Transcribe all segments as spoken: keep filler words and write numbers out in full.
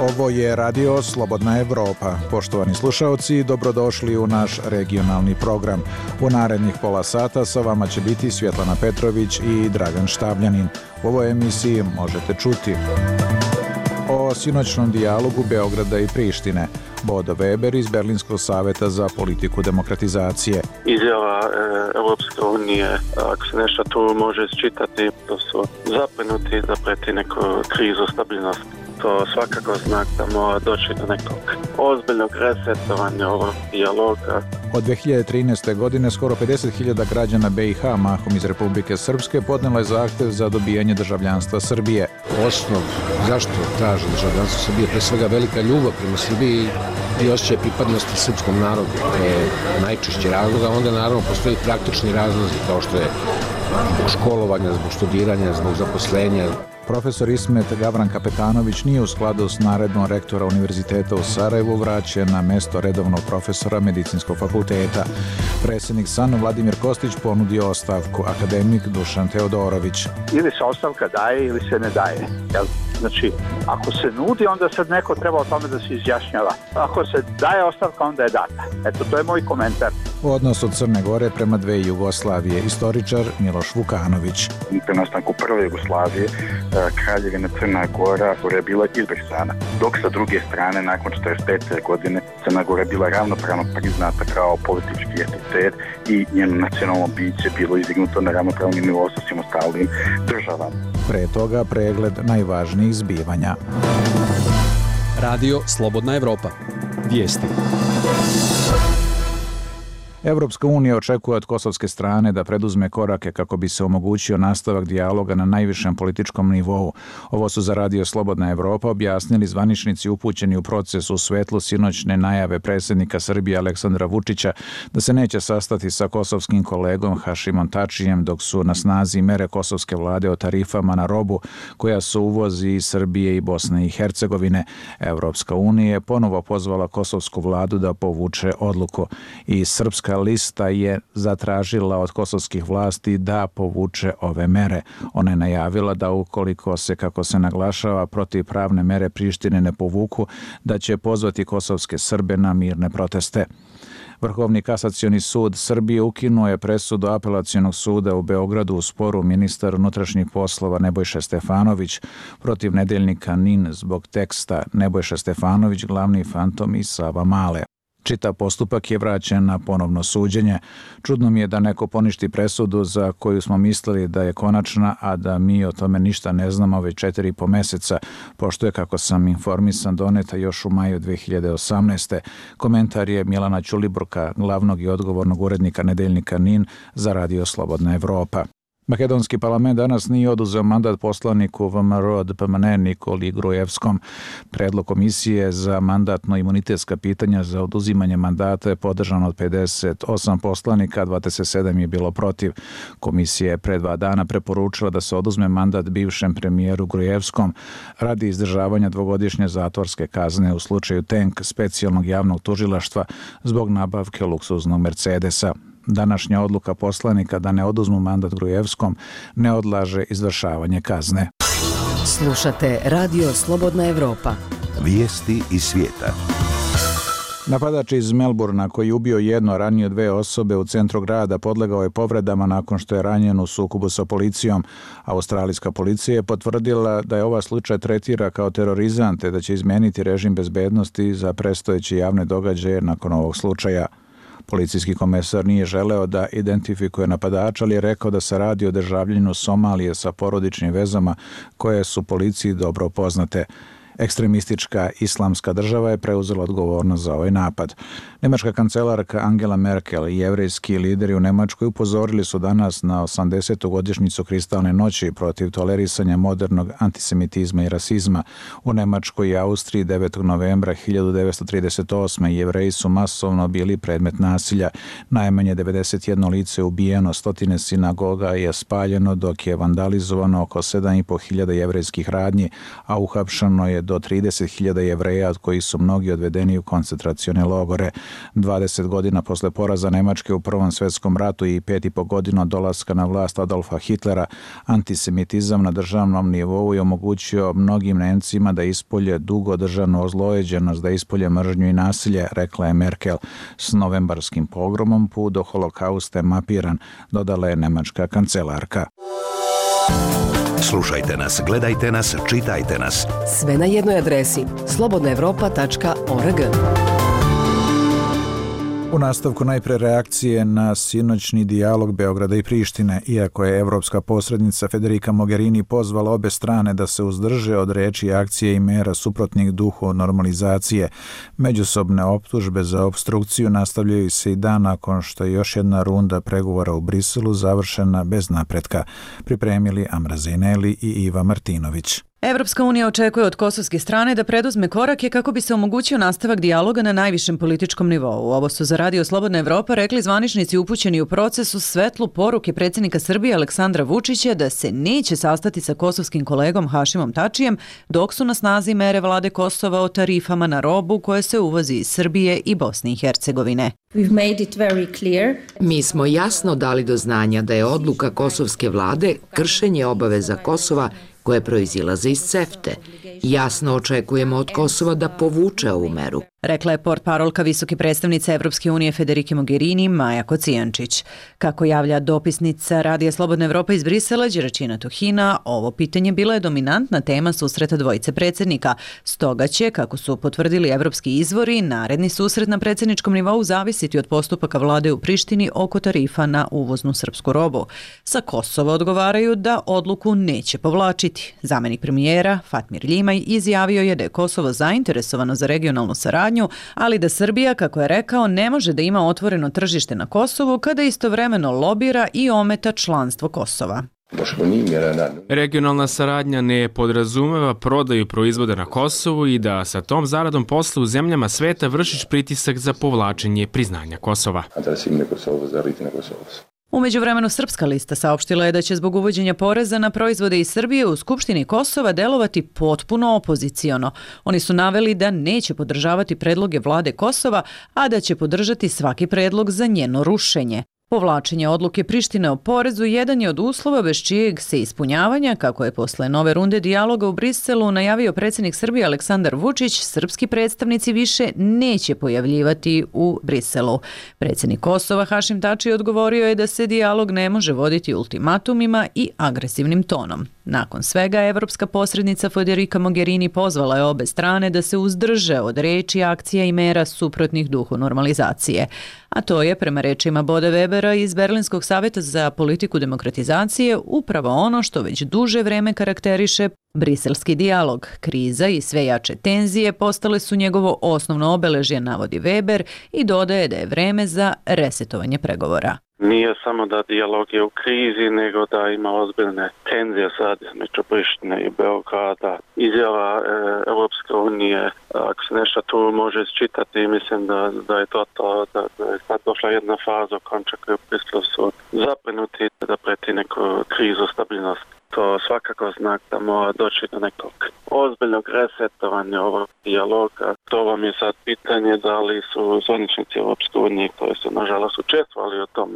Ovo je Radio Slobodna Evropa. Poštovani slušaoci, dobrodošli u naš regionalni program. U narednih pola sata sa vama će biti Svjetlana Petrović i Dragan Štavljanin. U ovoj emisiji možete čuti o sinoćnom dijalogu Beograda i Prištine, Bodo Weber iz Berlinskog saveta za politiku demokratizacije. Izjava e, Europske unije, ako se nešto tu može isčitati, da su zabrinuti da preti neku krizu stabilnosti. To svakako znak da mora doći do nekog ozbiljnog resetovanja ovog dijaloga. Od dve hiljade trinaeste. godine skoro pedeset hiljada građana be i ha, mahom iz Republike Srpske, podnelo je zahtev za dobijanje državljanstva Srbije. Osnov zašto traže državljanstvo Srbije, pre svega velika ljubav prema Srbiji i osjećaj pripadnosti srpskom narodu. To je najčešći razlog, a onda naravno postoji praktični razlozi kao što je zbog školovanja, zbog studiranja, zbog zaposlenja. Profesor Ismet Gavran Kapetanović nije u skladu s naredbom rektora Univerziteta u Sarajevu vraćen na mesto redovnog profesora Medicinskog fakulteta. Predsjednik S A N Vladimir Kostić ponudio ostavku, akademik Dušan Teodorović. Ili se ostavka daje ili se ne daje. Jel? Znači, ako se nudi, onda sad neko treba o tome da se izjašnjava. Ako se daje ostavka, onda je data. Eto, to je moj komentar. Odnos od Crne Gore prema dve Jugoslavije, istoričar Miloš Vukanović. Pri nastanku prve Jugoslavije, Kraljevina Crna Gora je bila izbrisana, dok sa druge strane, nakon četrdeset pete. godine, Crna Gora je bila ravnopravno priznata kao politički entitet i njeno nacionalno biće bilo izdignuto na ravnopravni nivo sa svim ostalim državama. Pre toga pregled najvažnijih zbivanja. Radio Slobodna Evropa. Vijesti. Evropska unija očekuje od kosovske strane da preduzme korake kako bi se omogućio nastavak dijaloga na najvišem političkom nivou. Ovo su za Radio Slobodna Evropa objasnili zvaničnici upućeni u proces u svetlu sinoćne najave predsjednika Srbije Aleksandra Vučića da se neće sastati sa kosovskim kolegom Hašimom Tačijem dok su na snazi mere kosovske vlade o tarifama na robu koja se uvozi iz Srbije i Bosne i Hercegovine. Evropska unija je ponovo pozvala kosovsku vladu da povuče odluku i srpska lista je zatražila od kosovskih vlasti da povuče ove mere. Ona je najavila da ukoliko se, kako se naglašava, protivpravne mere Prištine ne povuku, da će pozvati kosovske Srbe na mirne proteste. Vrhovni kasacioni sud Srbije ukinuo je presudu apelacionog suda u Beogradu u sporu ministar unutrašnjih poslova Nebojša Stefanović protiv nedeljnika N I N zbog teksta Nebojša Stefanović, glavni fantom i Sava Male. Čitav postupak je vraćen na ponovno suđenje. Čudno mi je da neko poništi presudu za koju smo mislili da je konačna, a da mi o tome ništa ne znamo već četiri i po meseca, pošto je, kako sam informisan, doneta još u maju dve hiljade osamnaeste. Komentar je Milana Ćulibrka, glavnog i odgovornog urednika nedeljnika N I N za Radio Slobodna Evropa. Makedonski parlament danas nije oduzeo mandat poslaniku V M R od P M N Nikoli Grujevskom. Predlog komisije za mandatno-imunitetska pitanja za oduzimanje mandata je podržan od pedeset osam poslanika, dvadeset sedam je bilo protiv. Komisija je pre dva dana preporučila da se oduzme mandat bivšem premijeru Grujevskom radi izdržavanja dvogodišnje zatvorske kazne u slučaju Tank specijalnog javnog tužilaštva zbog nabavke luksuznog Mercedesa. Današnja odluka poslanika da ne oduzmu mandat Grujevskom ne odlaže izvršavanje kazne. Slušate Radio Slobodna Evropa. Vijesti iz svijeta. Napadač iz Melburna koji je ubio jedno, ranio dve osobe u centru grada, podlegao je povredama nakon što je ranjen u sukobu sa policijom. Australijska policija je potvrdila da je ova slučaj tretira kao terorizam te da će izmeniti režim bezbednosti za predstojeće javne događaje nakon ovog slučaja. Policijski komesar nije želeo da identifikuje napadača, ali je rekao da se radi o državljaninu Somalije sa porodičnim vezama koje su policiji dobro poznate. Ekstremistička islamska država je preuzela odgovornost za ovaj napad. Nemačka kancelarka Angela Merkel i jevrejski lideri u Nemačkoj upozorili su danas na osamdesetu godišnjicu Kristalne noći protiv tolerisanja modernog antisemitizma i rasizma. U Nemačkoj i Austriji devetog novembra hiljadu devetsto trideset osme Jevreji su masovno bili predmet nasilja. Najmanje devedeset jedno lice je ubijeno, stotine sinagoga je spaljeno, dok je vandalizovano oko sedam i po hiljada jevrejskih radnji, a uhapšeno je je do trideset hiljada Jevreja, od kojih su mnogi odvedeni u koncentracione logore. dvadeset godina posle poraza Nemačke u Prvom svetskom ratu i pet i po godina od dolaska na vlast Adolfa Hitlera, antisemitizam na državnom nivou je omogućio mnogim Nemcima da ispolje dugo državnu ozlojeđenost, da ispolje mržnju i nasilje, rekla je Merkel. S novembarskim pogromom put do holokausta je mapiran, dodala je nemačka kancelarka. Slušajte nas, gledajte nas, čitajte nas. Sve na jednoj adresi slobodna evropa tačka org. U nastavku najpre reakcije na sinoćni dijalog Beograda i Prištine, iako je evropska posrednica Federica Mogherini pozvala obe strane da se uzdrže od reči, akcije i mera suprotnih duhu normalizacije. Međusobne optužbe za opstrukciju nastavljaju se i dan nakon što je još jedna runda pregovora u Briselu završena bez napretka. Pripremili Amra Zejneli i Iva Martinović. Evropska unija očekuje od kosovske strane da preduzme korake kako bi se omogućio nastavak dijaloga na najvišem političkom nivou. Ovo su za Radio Slobodna Evropa rekli zvaničnici upućeni u procesu svetlu poruke predsjednika Srbije Aleksandra Vučića da se neće sastati sa kosovskim kolegom Hašimom Tačijem dok su na snazi mere vlade Kosova o tarifama na robu koje se uvozi iz Srbije i Bosne i Hercegovine. Mi smo jasno dali do znanja da je odluka kosovske vlade kršenje obaveza Kosova koje proizilaze iz CEFTE. Jasno očekujemo od Kosova da povuče ovu meru. Rekla je portparolka visoke predstavnice Evropske unije Federike Mogherini Maja Kocijančić. Kako javlja dopisnica Radija Slobodna Evropa iz Brisela Đeračina Tuhina, ovo pitanje bila je dominantna tema susreta dvojice predsjednika. Stoga će, kako su potvrdili evropski izvori, naredni susret na predsjedničkom nivou zavisiti od postupaka vlade u Prištini oko tarifa na uvoznu srpsku robu. Sa Kosova odgovaraju da odluku neće povlačiti. Zamenik premijera Fatmir Ljimaj izjavio je da je Kosovo zainteresovano za regionalnu saradnju, ali da Srbija, kako je rekao, ne može da ima otvoreno tržište na Kosovu kada istovremeno lobira i ometa članstvo Kosova. Regionalna saradnja ne podrazumeva prodaju proizvoda na Kosovu i da sa tom zaradom posle u zemljama sveta vršiš pritisak za povlačenje priznanja Kosova. U međuvremenu Srpska lista saopštila je da će zbog uvođenja poreza na proizvode iz Srbije u Skupštini Kosova delovati potpuno opoziciono. Oni su naveli da neće podržavati predloge vlade Kosova, a da će podržati svaki predlog za njeno rušenje. Povlačenje odluke Prištine o porezu jedan je od uslova bez čijeg se ispunjavanja, kako je posle nove runde dijaloga u Briselu najavio predsjednik Srbije Aleksandar Vučić, srpski predstavnici više neće pojavljivati u Briselu. Predsjednik Kosova Hašim Tači odgovorio je da se dijalog ne može voditi ultimatumima i agresivnim tonom. Nakon svega, evropska posrednica Federica Mogherini pozvala je obe strane da se uzdrže od reči, akcija i mera suprotnih duhu normalizacije. A to je, prema rečima Boda Webera iz Berlinskog savjeta za politiku demokratizacije, upravo ono što već duže vreme karakteriše briselski dijalog. Kriza i sve jače tenzije postale su njegovo osnovno obeležje, navodi Weber, i dodaje da je vreme za resetovanje pregovora. Nije samo da dijalog je u krizi, nego da ima ozbiljne tenzije sad između Prištine i Beograda. Izjava e, Europske unije, ako se nešto tu može isčitati, mislim da, da je to to, da, da je sad došla jedna faza u kojem čak u Briselu su zabrinuti da preti neku krizu stabilnosti. To svakako znak da mora doći do nekog ozbiljnog resetovanja ovog dijaloga. To vam je sad pitanje da li su zvaničnici Europske unije koji su nažalost učestvovali u tom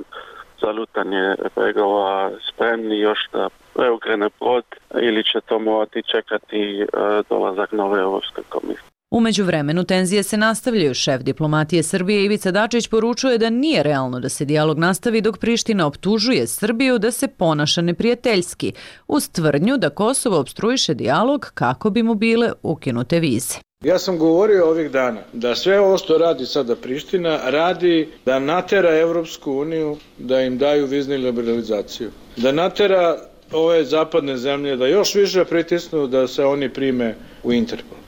zalutanje pregovora spremni još da preukrene brod ili će to morati čekati dolazak nove Europske komisije. U međuvremenu tenzije se nastavljaju. Šef diplomatije Srbije Ivica Dačić poručuje da nije realno da se dijalog nastavi dok Priština optužuje Srbiju da se ponaša neprijateljski, uz tvrdnju da Kosovo opstruiše dijalog kako bi mu bile ukinute vize. Ja sam govorio ovih dana da sve ovo što radi sada Priština radi da natera Evropsku uniju da im daju vizni liberalizaciju, da natera ove zapadne zemlje da još više pritisnu da se oni prime u Interpol.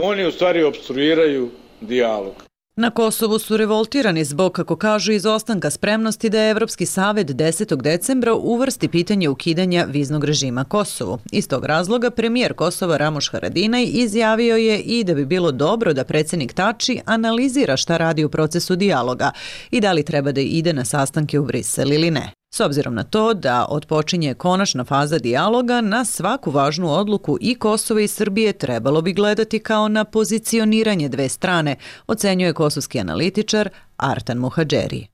Oni u stvari opstruiraju dijalog. Na Kosovu su revoltirani zbog, kako kažu, izostanka spremnosti da je Evropski savjet desetog decembra uvrsti pitanje ukidanja viznog režima Kosovu. Iz tog razloga premijer Kosova Ramuš Haradinaj izjavio je i da bi bilo dobro da predsjednik Tači analizira šta radi u procesu dijaloga i da li treba da ide na sastanke u Brisel ili ne. S obzirom na to da otpočinje konačna faza dijaloga, na svaku važnu odluku i Kosova i Srbije trebalo bi gledati kao na pozicioniranje dve strane, ocenjuje kosovski analitičar Artan Muhadžeri.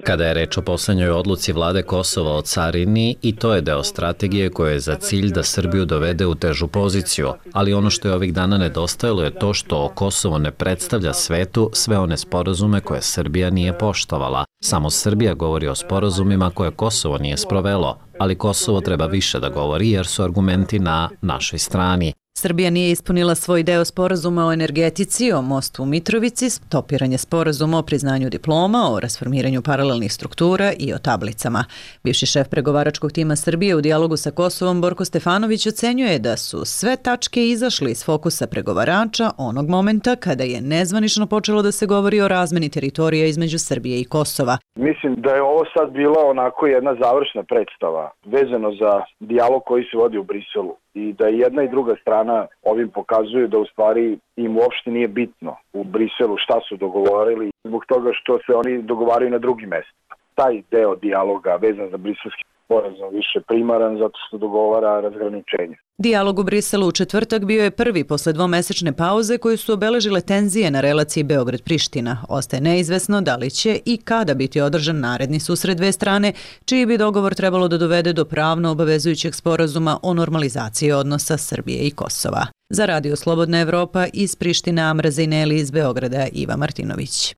Kada je reč o poslednjoj odluci vlade Kosova o carini, i to je deo strategije koja je za cilj da Srbiju dovede u težu poziciju, ali ono što je ovih dana nedostajalo je to što Kosovo ne predstavlja svetu sve one sporazume koje Srbija nije poštovala. Samo Srbija govori o sporazumima koje Kosovo nije sprovelo, ali Kosovo treba više da govori jer su argumenti na našoj strani. Srbija nije ispunila svoj deo sporazuma o energetici, o mostu u Mitrovici, stopiranje sporazuma o priznanju diploma, o rasformiranju paralelnih struktura i o tablicama. Bivši šef pregovaračkog tima Srbije u dijalogu sa Kosovom Borko Stefanović ocenjuje da su sve tačke izašle iz fokusa pregovarača onog momenta kada je nezvanično počelo da se govori o razmeni teritorija između Srbije i Kosova. Mislim da je ovo sad bila onako jedna završna predstava vezano za dijalog koji se vodi u Briselu. I da jedna i druga strana ovim pokazuju da u stvari im uopšte nije bitno u Briselu šta su dogovorili zbog toga što se oni dogovaraju na drugim mestima. Taj deo dijaloga vezan za briselski sporazum više primaran zato što dogovara razgraničenje. Dijalog u Briselu u četvrtak bio je prvi posle dvomesečne pauze koju su obeležile tenzije na relaciji Beograd-Priština. Ostaje neizvesno da li će i kada biti održan naredni susret dve strane, čiji bi dogovor trebalo da dovede do pravno obavezujućeg sporazuma o normalizaciji odnosa Srbije i Kosova. Za Radio Slobodna Evropa iz Priština, Amra Zejneli, iz Beograda Iva Martinović.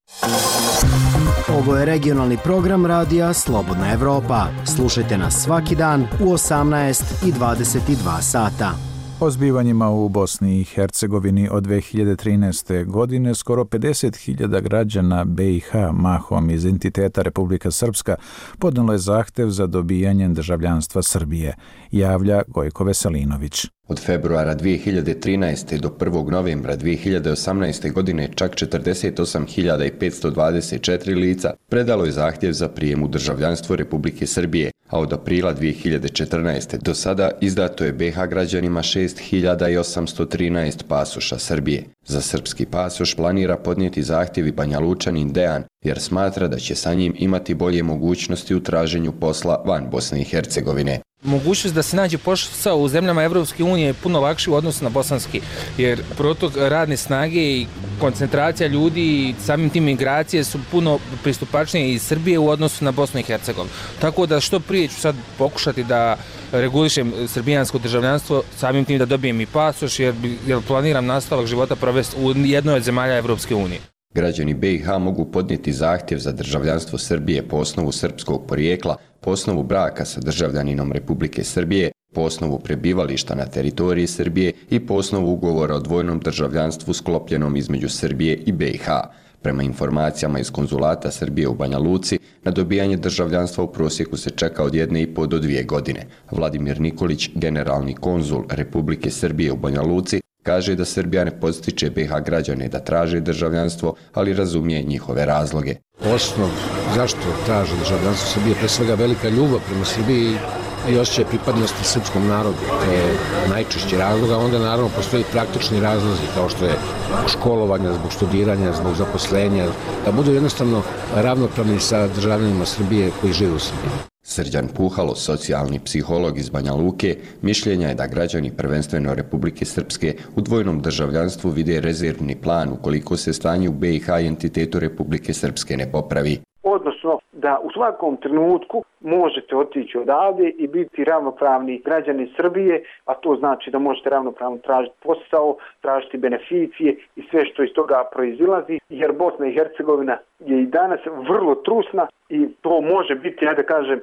Ovo je regionalni program radija Slobodna Evropa. Slušajte nas svaki dan u osamnaest i dvadeset dva sata. O zbivanjima u Bosni i Hercegovini od dve hiljade trinaeste. godine skoro pedeset hiljada građana be i ha, mahom iz entiteta Republika Srpska, podnelo je zahtev za dobijanjem državljanstva Srbije, javlja Gojko Veselinović. Od februara dve hiljade trinaeste. do prvog novembra dve hiljade osamnaeste. godine čak četrdeset osam hiljada petsto dvadeset četiri lica predalo je zahtjev za prijem u državljanstvo Republike Srbije, a od aprila dve hiljade četrnaeste. do sada izdato je be ha građanima šest hiljada osamsto trinaest pasoša Srbije. Za srpski pasoš planira podnijeti zahtjev i Banjalučanin Dejan, jer smatra da će sa njim imati bolje mogućnosti u traženju posla van Bosne i Hercegovine. Mogućnost da se nađe posao u zemljama Evropske unije je puno lakši u odnosu na bosanski, jer protok radne snage i koncentracija ljudi i samim tim migracije su puno pristupačnije iz Srbije u odnosu na Bosnu i Hercegovinu. Tako da što prije ću sad pokušati da regulišem srbijansko državljanstvo, samim tim da dobijem i pasoš, jer, jer planiram nastavak života provesti u jednoj od zemalja Evropske unije. Građani be i ha mogu podnijeti zahtjev za državljanstvo Srbije po osnovu srpskog porijekla, po osnovu braka sa državljaninom Republike Srbije, po osnovu prebivališta na teritoriji Srbije i po osnovu ugovora o dvojnom državljanstvu sklopljenom između Srbije i be i ha. Prema informacijama iz konzulata Srbije u Banja Luci, na dobijanje državljanstva u prosjeku se čeka od jedne i po do dvije godine. Vladimir Nikolić, generalni konzul Republike Srbije u Banja Luci, kaže da Srbija ne podstiče be ha građane da traže državljanstvo, ali razumije njihove razloge. Osnov zašto traže državljanstvo Srbije, pre svega velika ljubav prema Srbiji i osjećaj pripadnosti srpskom narodu. To je najčešći razlog, a onda naravno postoji praktični razlozi kao što je školovanja, zbog studiranja, zbog zaposlenja, da budu jednostavno ravnopravni sa državljanima Srbije koji žive u Srbiji. Srđan Puhalo, socijalni psiholog iz Banja Luke, mišljenja je da građani prvenstveno Republike Srpske u dvojnom državljanstvu vide rezervni plan ukoliko se stanje u be i ha i entitetu Republike Srpske ne popravi. Odnosno da u svakom trenutku možete otići odavde i biti ravnopravni građani Srbije, a to znači da možete ravnopravno tražiti posao, tražiti beneficije i sve što iz toga proizilazi, jer Bosna i Hercegovina je i danas vrlo trusna i to može biti, ja da kažem,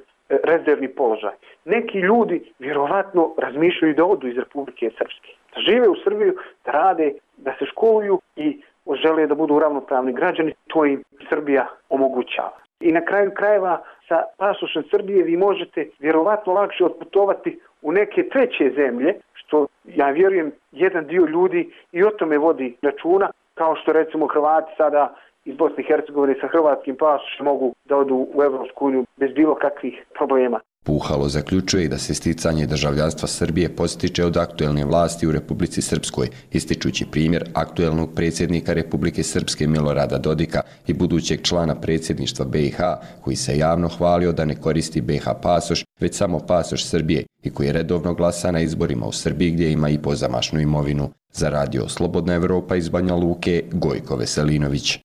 rezervni položaj. Neki ljudi vjerovatno razmišljaju da odu iz Republike Srpske, da žive u Srbiju, da rade, da se školuju i žele da budu ravnopravni građani, to im Srbija omogućava. I na kraju krajeva sa pasošem Srbije vi možete vjerovatno lakše otputovati u neke treće zemlje, što ja vjerujem jedan dio ljudi i o tome vodi računa, kao što recimo Hrvati sada iz Bosne i Hercegovine sa hrvatskim pasošem mogu da odu u Evropsku uniju bez bilo kakvih problema. Puhalo zaključuje i da se sticanje državljanstva Srbije postiče od aktuelne vlasti u Republici Srpskoj, ističući primjer aktuelnog predsjednika Republike Srpske Milorada Dodika i budućeg člana predsjedništva B i H, koji se javno hvalio da ne koristi B i H pasoš, već samo pasoš Srbije i koji redovno glasa na izborima u Srbiji gdje ima i pozamašnu imovinu. Za radio Slobodna Evropa iz Banja Luke, Gojko Veselinović.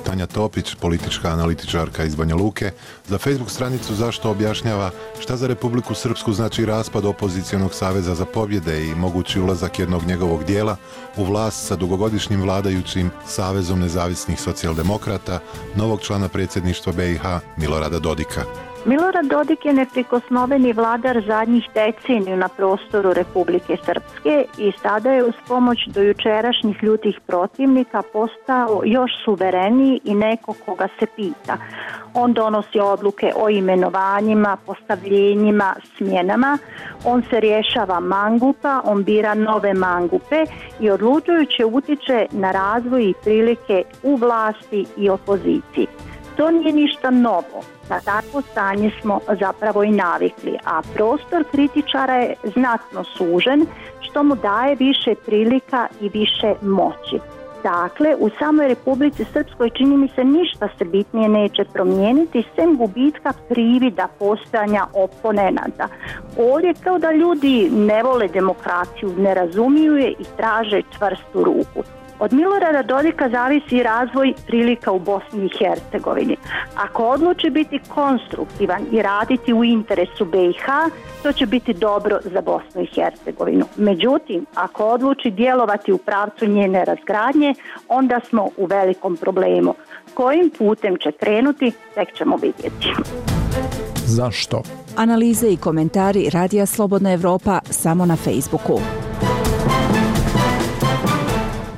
Tanja Topić, politička analitičarka iz Banja Luke, za Facebook stranicu Zašto objašnjava šta za Republiku Srpsku znači raspad opozicionog saveza za pobjede i mogući ulazak jednog njegovog dijela u vlast sa dugogodišnjim vladajućim Savezom nezavisnih socijaldemokrata, novog člana predsjedništva B i H Milorada Dodika. Milorad Dodik je neprikosnoveni vladar zadnjih deceniju na prostoru Republike Srpske i sada je uz pomoć dojučerašnjih ljutih protivnika postao još suvereniji i neko koga se pita. On donosi odluke o imenovanjima, postavljenjima, smjenama, on se rješava mangupa, on bira nove mangupe i odlučujuće utiče na razvoj i prilike u vlasti i opoziciji. To nije ništa novo. Na takvo stanje smo zapravo i navikli, a prostor kritičara je znatno sužen, što mu daje više prilika i više moći. Dakle, u samoj Republici Srpskoj čini mi se ništa se bitnije neće promijeniti, sem gubitka privida postojanja oponenata. Ovdje kao da ljudi ne vole demokraciju, ne razumiju je i traže čvrstu ruku. Od Milorada Dodika zavisi razvoj prilika u Bosni i Hercegovini. Ako odluči biti konstruktivan i raditi u interesu B i H, to će biti dobro za Bosnu i Hercegovinu. Međutim, ako odluči djelovati u pravcu njene razgradnje, onda smo u velikom problemu. Kojim putem će krenuti, tek ćemo vidjeti. Zašto? Analize i komentari Radija Slobodna Evropa samo na Facebooku.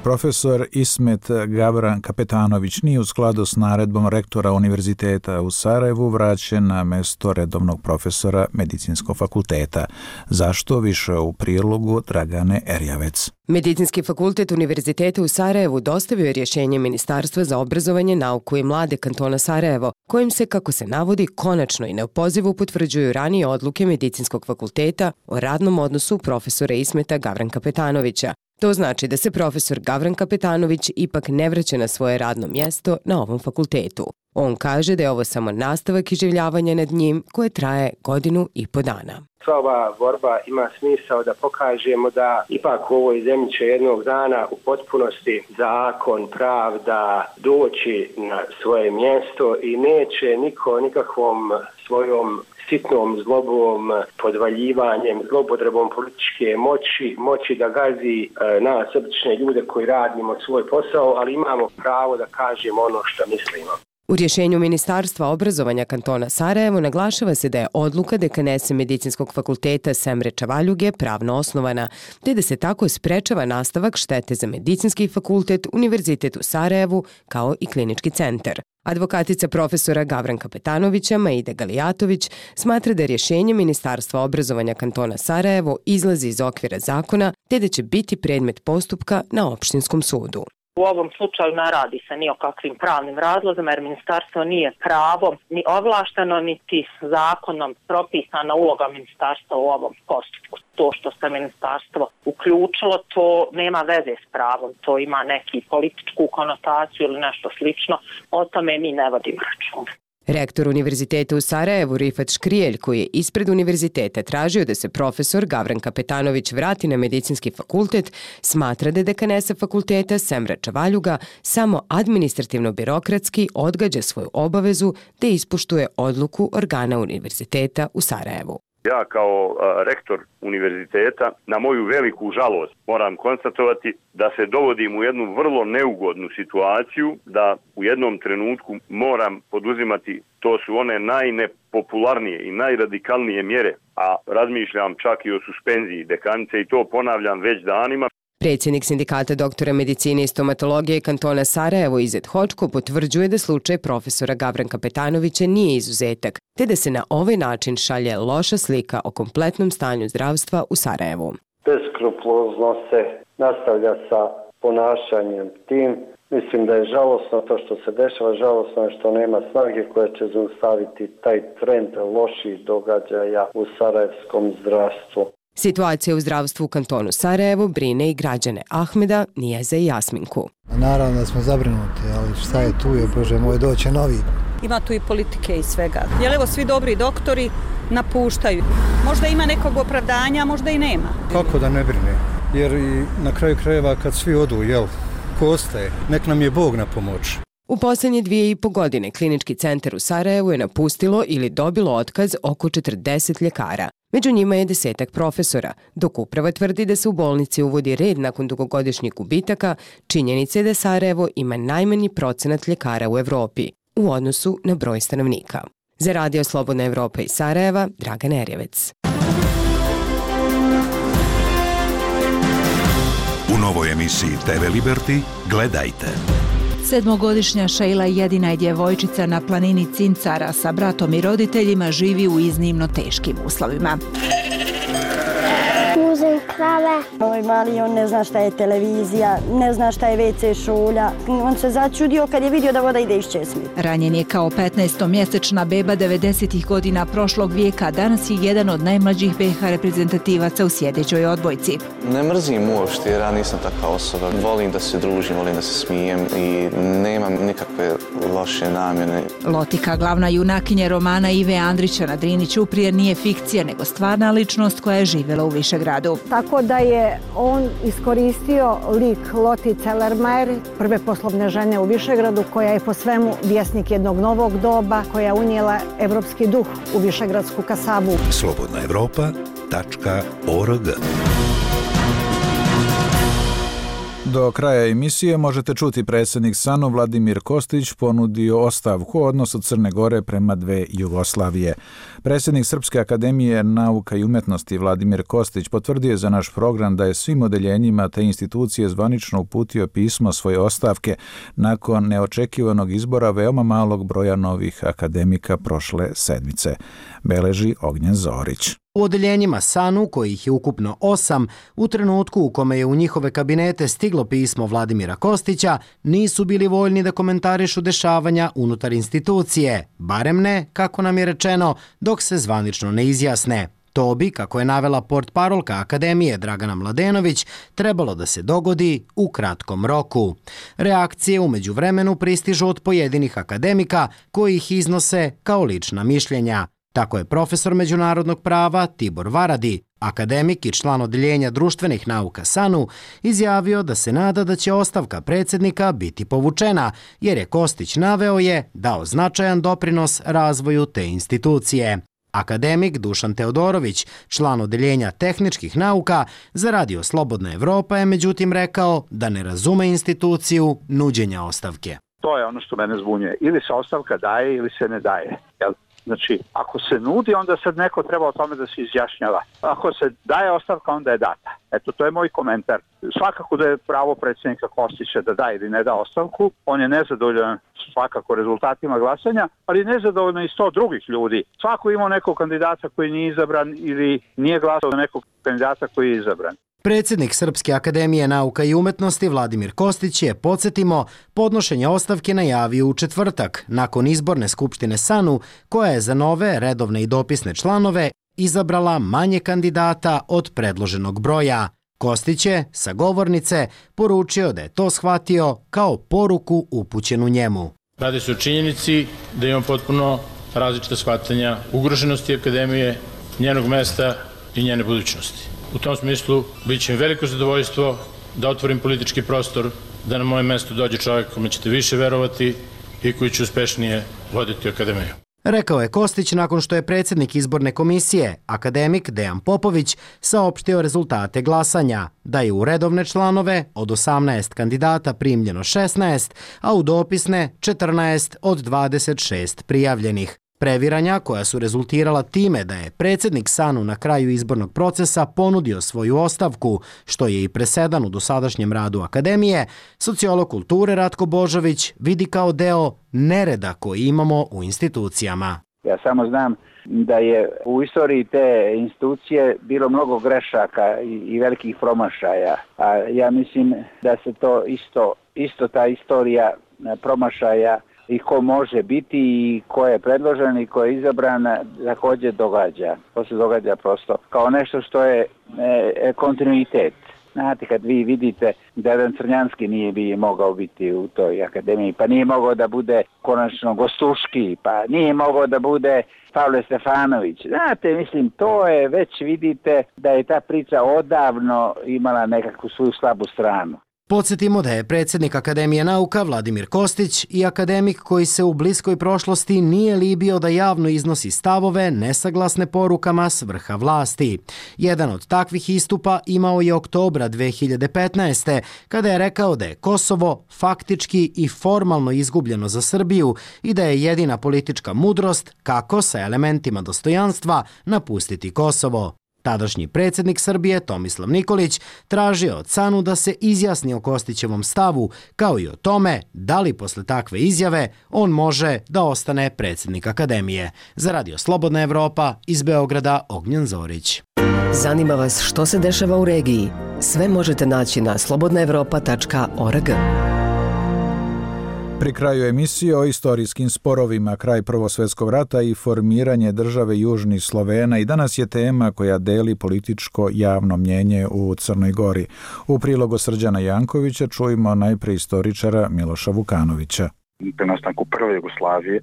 Profesor Ismet Gavran Kapetanović nije u skladu s naredbom rektora Univerziteta u Sarajevu vraćen na mesto redovnog profesora Medicinskog fakulteta. Zašto? Više u prilogu Dragane Erjavec. Medicinski fakultet Univerziteta u Sarajevu dostavio je rješenje Ministarstva za obrazovanje, nauku i mlade kantona Sarajevo, kojim se, kako se navodi, konačno i neopozivo potvrđuju ranije odluke Medicinskog fakulteta o radnom odnosu profesora Ismeta Gavran Kapetanovića. To znači da se profesor Gavran Kapetanović ipak ne vraća na svoje radno mjesto na ovom fakultetu. On kaže da je ovo samo nastavak iživljavanja nad njim koje traje godinu i po dana. Sva ova borba ima smisao da pokažemo da ipak u ovoj zemlji će jednog dana u potpunosti zakon, pravda doći na svoje mjesto i neće niko nikakvom svojom sitnom zlobom, podvaljivanjem, zlopotrebom političke moći, moći da gazi e, nas, obične ljude koji radimo svoj posao, ali imamo pravo da kažemo ono što mislimo. U rješenju Ministarstva obrazovanja kantona Sarajevo naglašava se da je odluka dekanese Medicinskog fakulteta Semre Čavaljuge pravno osnovana, te da se tako sprečava nastavak štete za Medicinski fakultet, Univerzitet u Sarajevu kao i klinički centar. Advokatica profesora Gavran Kapetanovića, Maida Galijatović, smatra da rješenje Ministarstva obrazovanja kantona Sarajevo izlazi iz okvira zakona, te da će biti predmet postupka na opštinskom sudu. U ovom slučaju ne radi se ni o kakvim pravnim razlozima jer ministarstvo nije pravo ni ovlašteno niti zakonom propisana uloga ministarstva u ovom postupku. To što se ministarstvo uključilo, to nema veze s pravom, to ima neki političku konotaciju ili nešto slično, o tome mi ne vodimo računa. Rektor Univerziteta u Sarajevu Rifat Škrijelj, koji je ispred univerziteta tražio da se profesor Gavran Kapetanović vrati na Medicinski fakultet, smatra da dekanesa fakulteta Semra Čavaljuga samo administrativno-birokratski odgađa svoju obavezu da ispoštuje odluku organa univerziteta u Sarajevu. Ja kao a, rektor univerziteta, na moju veliku žalost, moram konstatovati da se dovodim u jednu vrlo neugodnu situaciju, da u jednom trenutku moram poduzimati, to su one najnepopularnije i najradikalnije mjere, a razmišljam čak i o suspenziji dekanice i to ponavljam već danima. Predsjednik sindikata doktora medicine i stomatologije kantona Sarajevo Izet Hočko potvrđuje da slučaj profesora Gavran Kapetanovića nije izuzetak, te da se na ovaj način šalje loša slika o kompletnom stanju zdravstva u Sarajevu. Beskrupulozno se nastavlja sa ponašanjem tim Mislim da je žalosno to što se dešava, žalosno je što nema snage koja će zaustaviti taj trend loših događaja u sarajevskom zdravstvu. Situacija u zdravstvu u kantonu Sarajevo brine i građane Ahmeda, Nijeze i Jasminku. Naravno da smo zabrinuti, ali šta je tu je, Bože moj, doće novi. Ima tu i politike i svega. Jer evo svi dobri doktori napuštaju. Možda ima nekog opravdanja, možda i nema. Kako da ne brine? Jer i na kraju krajeva kad svi odu, jel, ko ostaje, nek nam je Bog na pomoć. U posljednje dvije i po godine klinički centar u Sarajevu je napustilo ili dobilo otkaz oko četrdeset ljekara. Među njima je desetak profesora. Dok uprava tvrdi da se u bolnici uvodi red nakon dugogodišnjih gubitaka, činjenica je da Sarajevo ima najmanji procenat ljekara u Evropi u odnosu na broj stanovnika. Za Radio Slobodna Evropa iz Sarajeva, Dragan Erjevec. U novoj emisiji T V Liberty gledajte. Sedmogodišnja Šejla, jedina je djevojčica na planini Cincara, sa bratom i roditeljima živi u iznimno teškim uslovima. Muzem krave. Moj mali, on ne zna šta je televizija, ne zna šta je ve ce šolja. On se začudio kad je vidio da voda ide iz česmi. Ranjen je kao petnaestomjesečna beba devedesetih godina prošlog vijeka, danas je jedan od najmlađih be ha reprezentativaca u sjedećoj odbojci. Ne mrzim uopšte jer ja nisam takva osoba. Volim da se družim, volim da se smijem i nemam nikakve loše namjene. Lotika, glavna junakinja romana Ive Andrića na Drini Ćuprije, nije fikcija nego stvarna ličnost koja je živjela u Višegradu. Tako da je on iskoristio lik Lotice Lermajer, prve poslovne žene u Višegradu, koja je po svemu vjesnik jednog novog doba, koja je unijela evropski duh u višegradsku kasabu. slobodna evropa tačka org. Do kraja emisije možete čuti predsjednik S A N U Vladimir Kostić ponudio ostavku u odnosu Crne Gore prema dve Jugoslavije. Predsjednik Srpske akademije nauka i umjetnosti Vladimir Kostić potvrdio je za naš program da je svim odeljenjima te institucije zvanično uputio pismo svoje ostavke nakon neočekivanog izbora veoma malog broja novih akademika prošle sedmice, beleži Ognjen Zorić. U odeljenjima S A N U, kojih je ukupno osam, u trenutku u kome je u njihove kabinete stiglo pismo Vladimira Kostića, nisu bili voljni da komentarišu dešavanja unutar institucije, barem ne, kako nam je rečeno, dok se zvanično ne izjasne. To bi, kako je navela portparolka Akademije Dragana Mladenović, trebalo da se dogodi u kratkom roku. Reakcije umeđu vremenu pristižu od pojedinih akademika koji ih iznose kao lična mišljenja. Tako je profesor međunarodnog prava Tibor Varadi, akademik i član odeljenja društvenih nauka S A N U, izjavio da se nada da će ostavka predsjednika biti povučena, jer je Kostić naveo je dao značajan doprinos razvoju te institucije. Akademik Dušan Teodorović, član odeljenja tehničkih nauka, za Radio Slobodna Evropa je međutim rekao da ne razume instituciju nuđenja ostavke. To je ono što mene zbunjuje. Ili se ostavka daje ili se ne daje. Jel? Znači, ako se nudi, onda sad neko treba o tome da se izjašnjava. Ako se daje ostavka, onda je data. Eto, to je moj komentar. Svakako da je pravo predsjednika Kostića da da ili ne da ostavku. On je nezadovoljan svakako rezultatima glasanja, ali nezadovoljno i sto drugih ljudi. Svako ima nekog kandidata koji nije izabran ili nije glasao za nekog kandidata koji je izabran. Predsjednik Srpske akademije nauka i umetnosti Vladimir Kostić je, podsjetimo, podnošenje ostavke najavio u četvrtak, nakon izborne skupštine S A N U, koja je za nove redovne i dopisne članove izabrala manje kandidata od predloženog broja. Kostić je, sa govornice, poručio da je to shvatio kao poruku upućenu njemu. Radi se o činjenici da imamo potpuno različita shvatanja ugroženosti akademije, njenog mesta i njene budućnosti. U tom smislu bit će mi veliko zadovoljstvo da otvorim politički prostor, da na moje mesto dođe čovjek kome ćete više verovati i koji će uspešnije voditi akademiju. Rekao je Kostić nakon što je predsjednik izborne komisije, akademik Dejan Popović, saopštio rezultate glasanja, da je u redovne članove od osamnaest kandidata primljeno šesnaest, a u dopisne četrnaest od dvadeset šest prijavljenih. Previranja koja su rezultirala time da je predsjednik S A N U na kraju izbornog procesa ponudio svoju ostavku, što je i presedan u dosadašnjem radu akademije, sociolog kulture Ratko Božović vidi kao deo nereda koji imamo u institucijama. Ja samo znam da je u istoriji te institucije bilo mnogo grešaka i, i velikih promašaja, a ja mislim da se to isto isto ta istorija promašaja i ko može biti i ko je predložen i ko je izabran također događa. To se događa prosto kao nešto što je e, kontinuitet. Znate, kad vi vidite da jedan Crnjanski nije bi mogao biti u toj akademiji, pa nije mogao da bude konačno Gostuški, pa nije mogao da bude Pavle Stefanović. Znate, mislim, to je već vidite da je ta priča odavno imala nekakvu svoju slabu stranu. Podsjetimo da je predsjednik Akademije nauka Vladimir Kostić i akademik koji se u bliskoj prošlosti nije libio da javno iznosi stavove nesaglasne porukama s vrha vlasti. Jedan od takvih istupa imao je oktobra dve hiljade petnaeste. kada je rekao da je Kosovo faktički i formalno izgubljeno za Srbiju i da je jedina politička mudrost kako sa elementima dostojanstva napustiti Kosovo. Tadašnji predsjednik Srbije Tomislav Nikolić tražio od C A N U da se izjasni o Kostićevom stavu, kao i o tome da li posle takve izjave on može da ostane predsjednik Akademije. Za Radio Slobodna Evropa, iz Beograda, Ognjen Zorić. Zanima vas što se dešava u regiji? Sve možete naći na slobodna evropa tačka org. Pri kraju emisije o istorijskim sporovima, kraj Prvog svjetskog rata i formiranje države Južnih Slovena i danas je tema koja deli političko javno mnjenje u Crnoj Gori. U prilogu Srđana Jankovića čujemo najprije istoričara Miloša Vukanovića. Po nastanku prve Jugoslavije,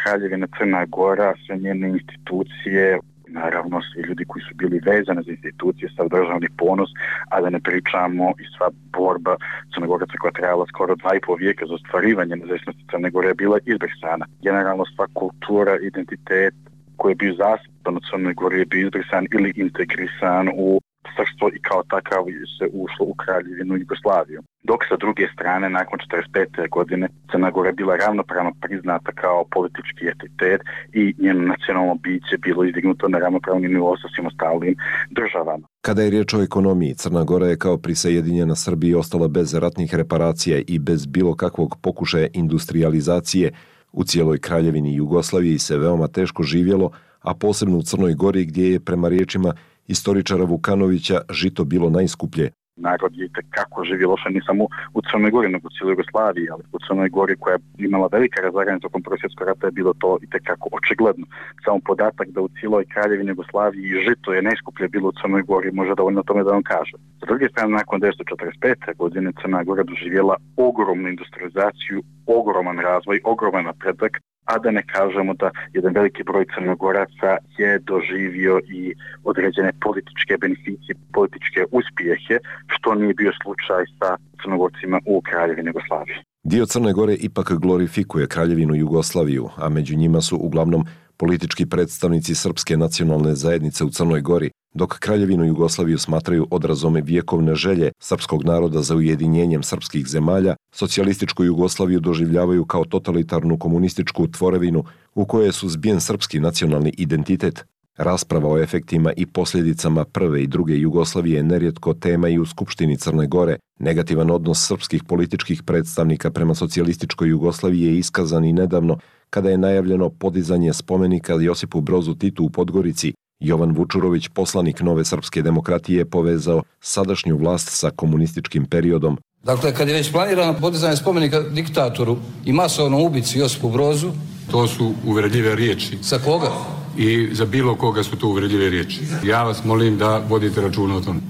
Kraljevina Crna Gora, sve njene institucije, naravno svi ljudi koji su bili vezani za institucije, sav državni ponos, a da ne pričamo i sva borba Crnogoraca koja trajala skoro dva i pol vijeka za ostvarivanje nezavisnosti Crne Gore je bila izbrisana. Generalno sva kultura, identitet koji je bio zastupan u Crnoj Gori je bio izbrisan ili integrisan u srstvo i kao takav se ušlo u Kraljevinu Jugoslaviju. Dok sa druge strane, nakon četrdeset pete godine, Crna Gora je bila ravnopravno priznata kao politički entitet i njeno nacionalno biće bilo izdignuto na ravnopravni nivo sa svim ostalim državama. Kada je riječ o ekonomiji, Crna Gora je kao prisajedinjena Srbiji ostala bez ratnih reparacija i bez bilo kakvog pokušaja industrijalizacije. U cijeloj Kraljevini Jugoslaviji se veoma teško živjelo, a posebno u Crnoj Gori gdje je prema riječima istoričara Vukanovića žito bilo najskuplje. Narod je kako živio loše ne samo u Crnoj Gori, nego u cijeloj Jugoslaviji, ali u Crnoj Gori koja je imala velika razlaganja tokom Prvog svjetskog rata je bilo to i tekako očigledno. Samo podatak da u cijeloj Kraljevini Jugoslaviji žito je najskuplje bilo u Crnoj Gori može dovoljno tome da vam kaže. S druge strane, nakon devetsto četrdeset pete godine Crna Gora doživjela ogromnu industrializaciju, ogroman razvoj, ogroman napredak, a da ne kažemo da jedan veliki broj Crnogoraca je doživio i određene političke beneficije, političke uspjehe, što nije bio slučaj sa Crnogorcima u Kraljevini Jugoslaviji. Dio Crne Gore ipak glorifikuje Kraljevinu Jugoslaviju, a među njima su uglavnom politički predstavnici Srpske nacionalne zajednice u Crnoj Gori, dok Kraljevinu Jugoslaviju smatraju odrazom vjekovne želje srpskog naroda za ujedinjenjem srpskih zemalja, socijalističku Jugoslaviju doživljavaju kao totalitarnu komunističku tvorevinu u kojoj je suzbijen srpski nacionalni identitet. Rasprava o efektima i posljedicama prve i druge Jugoslavije je nerijetko tema i u Skupštini Crne Gore. Negativan odnos srpskih političkih predstavnika prema socijalističkoj Jugoslaviji je iskazan i nedavno kada je najavljeno podizanje spomenika Josipu Brozu Titu u Podgorici. Jovan Vučurović, poslanik Nove srpske demokratije, povezao sadašnju vlast sa komunističkim periodom. Dakle, kad je već planirano podizanje spomenika diktatoru i masovnom ubici Josipu Brozu... To su uvredljive riječi. Za koga? I za bilo koga su to uvredljive riječi. Ja vas molim da vodite računa o tom.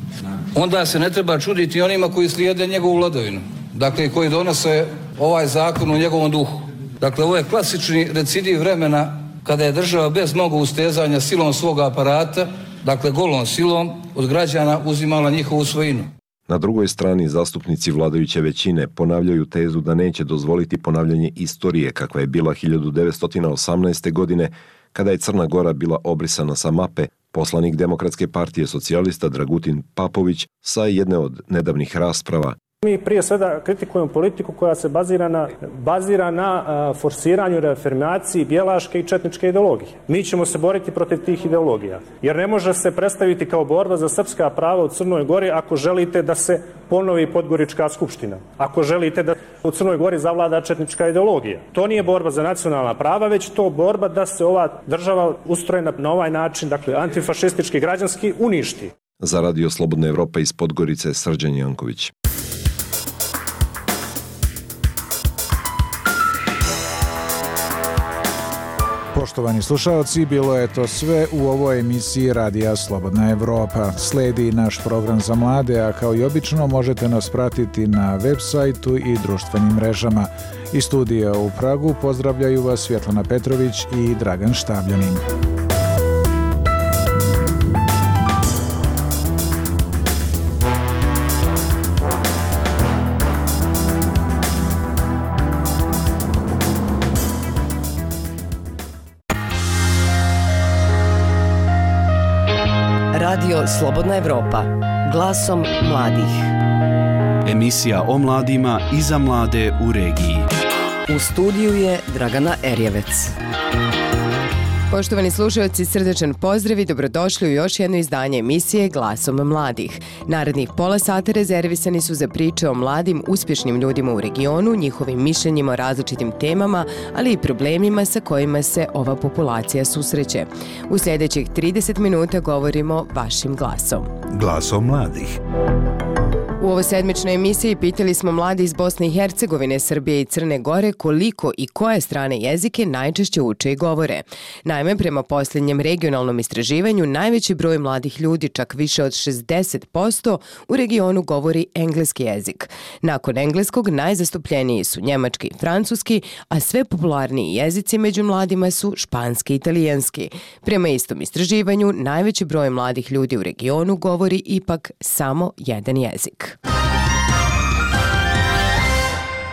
Onda se ne treba čuditi onima koji slijede njegovu vladavinu. Dakle, koji donose ovaj zakon u njegovom duhu. Dakle, ovo je klasični recidiv vremena kada je država bez mnogo ustezanja silom svog aparata, dakle golom silom, od građana uzimala njihovu svojinu. Na drugoj strani zastupnici vladajuće većine ponavljaju tezu da neće dozvoliti ponavljanje istorije kakva je bila hiljadu devetsto osamnaeste. godine kada je Crna Gora bila obrisana sa mape. Poslanik Demokratske partije socijalista Dragutin Papović sa jedne od nedavnih rasprava. Mi prije svega kritikujemo politiku koja se bazira na, bazira na a, forsiranju, reafirmaciji bjelaške i četničke ideologije. Mi ćemo se boriti protiv tih ideologija, jer ne može se predstaviti kao borba za srpska prava u Crnoj Gori ako želite da se ponovi Podgorička skupština, ako želite da u Crnoj Gori zavlada četnička ideologija. To nije borba za nacionalna prava, već to borba da se ova država ustrojena na ovaj način, dakle antifašistički, građanski, uništi. Za Radio Slobodna Evropa iz Podgorice, Srđan Janković. Poštovani slušaoci, bilo je to sve u ovoj emisiji Radija Slobodna Evropa. Sledi naš program za mlade, a kao i obično možete nas pratiti na web sajtu i društvenim mrežama. Iz studija u Pragu pozdravljaju vas Svjetlana Petrović i Dragan Štabljanin. Radio Slobodna Evropa, glasom mladih. Emisija o mladima i za mlade u regiji. U studiju je Dragana Erjevec. Poštovani slušalci, srdečan pozdrav i dobrodošli u još jedno izdanje emisije Glasom mladih. Narednih pola sata rezervisani su za priče o mladim, uspješnim ljudima u regionu, njihovim mišljenjima o različitim temama, ali i problemima sa kojima se ova populacija susreće. U sljedećih trideset minuta govorimo vašim glasom. Glasom mladih. U ovoj sedmičnoj emisiji pitali smo mladi iz Bosne i Hercegovine, Srbije i Crne Gore koliko i koje strane jezike najčešće uče i govore. Naime, prema posljednjem regionalnom istraživanju, najveći broj mladih ljudi, čak više od šezdeset posto, u regionu govori engleski jezik. Nakon engleskog najzastupljeniji su njemački i francuski, a sve popularniji jezici među mladima su španski i italijanski. Prema istom istraživanju, najveći broj mladih ljudi u regionu govori ipak samo jedan jezik.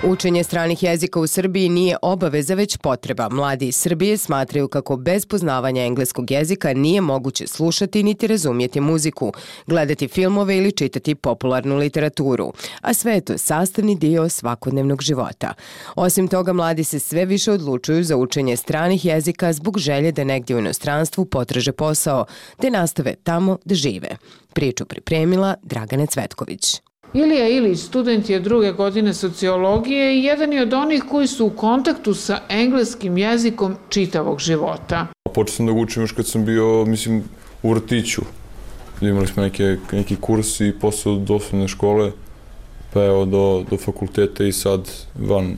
Učenje stranih jezika u Srbiji nije obaveza, već potreba. Mladi iz Srbije smatraju kako bez poznavanja engleskog jezika nije moguće slušati niti razumjeti muziku, gledati filmove ili čitati popularnu literaturu, a sve je to sastavni dio svakodnevnog života. Osim toga, mladi se sve više odlučuju za učenje stranih jezika zbog želje da negdje u inostranstvu potraže posao, te nastave tamo da žive. Priču pripremila Dragana Cvetković. Ilija Ilić, student je druge godine sociologije i jedan je od onih koji su u kontaktu sa engleskim jezikom čitavog života. Počeo sam da ga učim još kad sam bio, mislim, u vrtiću. Imali smo neke, neki kurs i posle do osnovne škole, pa evo do, do fakulteta i sad van.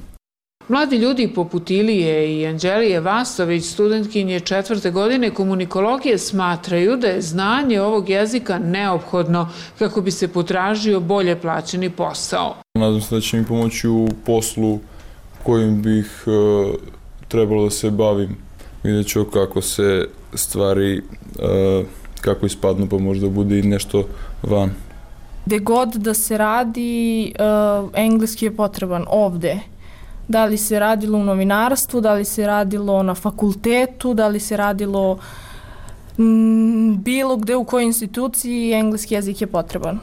Mladi ljudi poput Ilije i Anđelije Vasović, studentkinje četvrte godine komunikologije, smatraju da je znanje ovog jezika neophodno kako bi se potražio bolje plaćeni posao. Nadam se da će mi pomoći u poslu kojim bih e, trebalo da se bavim. Vidjet ću kako se stvari, e, kako ispadnu, pa možda bude i nešto van. Gde god da se radi, e, engleski je potreban ovde. Da li se radilo u novinarstvu, da li se radilo na fakultetu, da li se radilo m, bilo gde u kojoj instituciji, engleski jezik je potreban.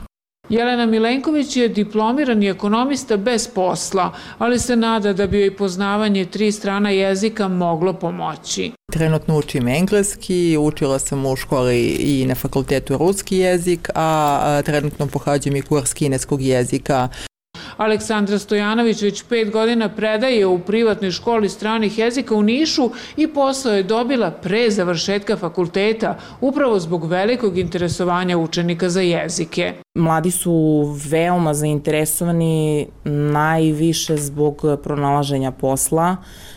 Jelena Milenković je diplomirani ekonomista bez posla, ali se nada da bi joj poznavanje tri strana jezika moglo pomoći. Trenutno učim engleski, učila sam u školi i na fakultetu ruski jezik, a trenutno pohađam i kurs kineskog jezika. Aleksandra Stojanović već pet godina predaje u privatnoj školi stranih jezika u Nišu i posao je dobila pre završetka fakulteta, upravo zbog velikog interesovanja učenika za jezike. Mladi su veoma zainteresovani najviše zbog pronalaženja posla,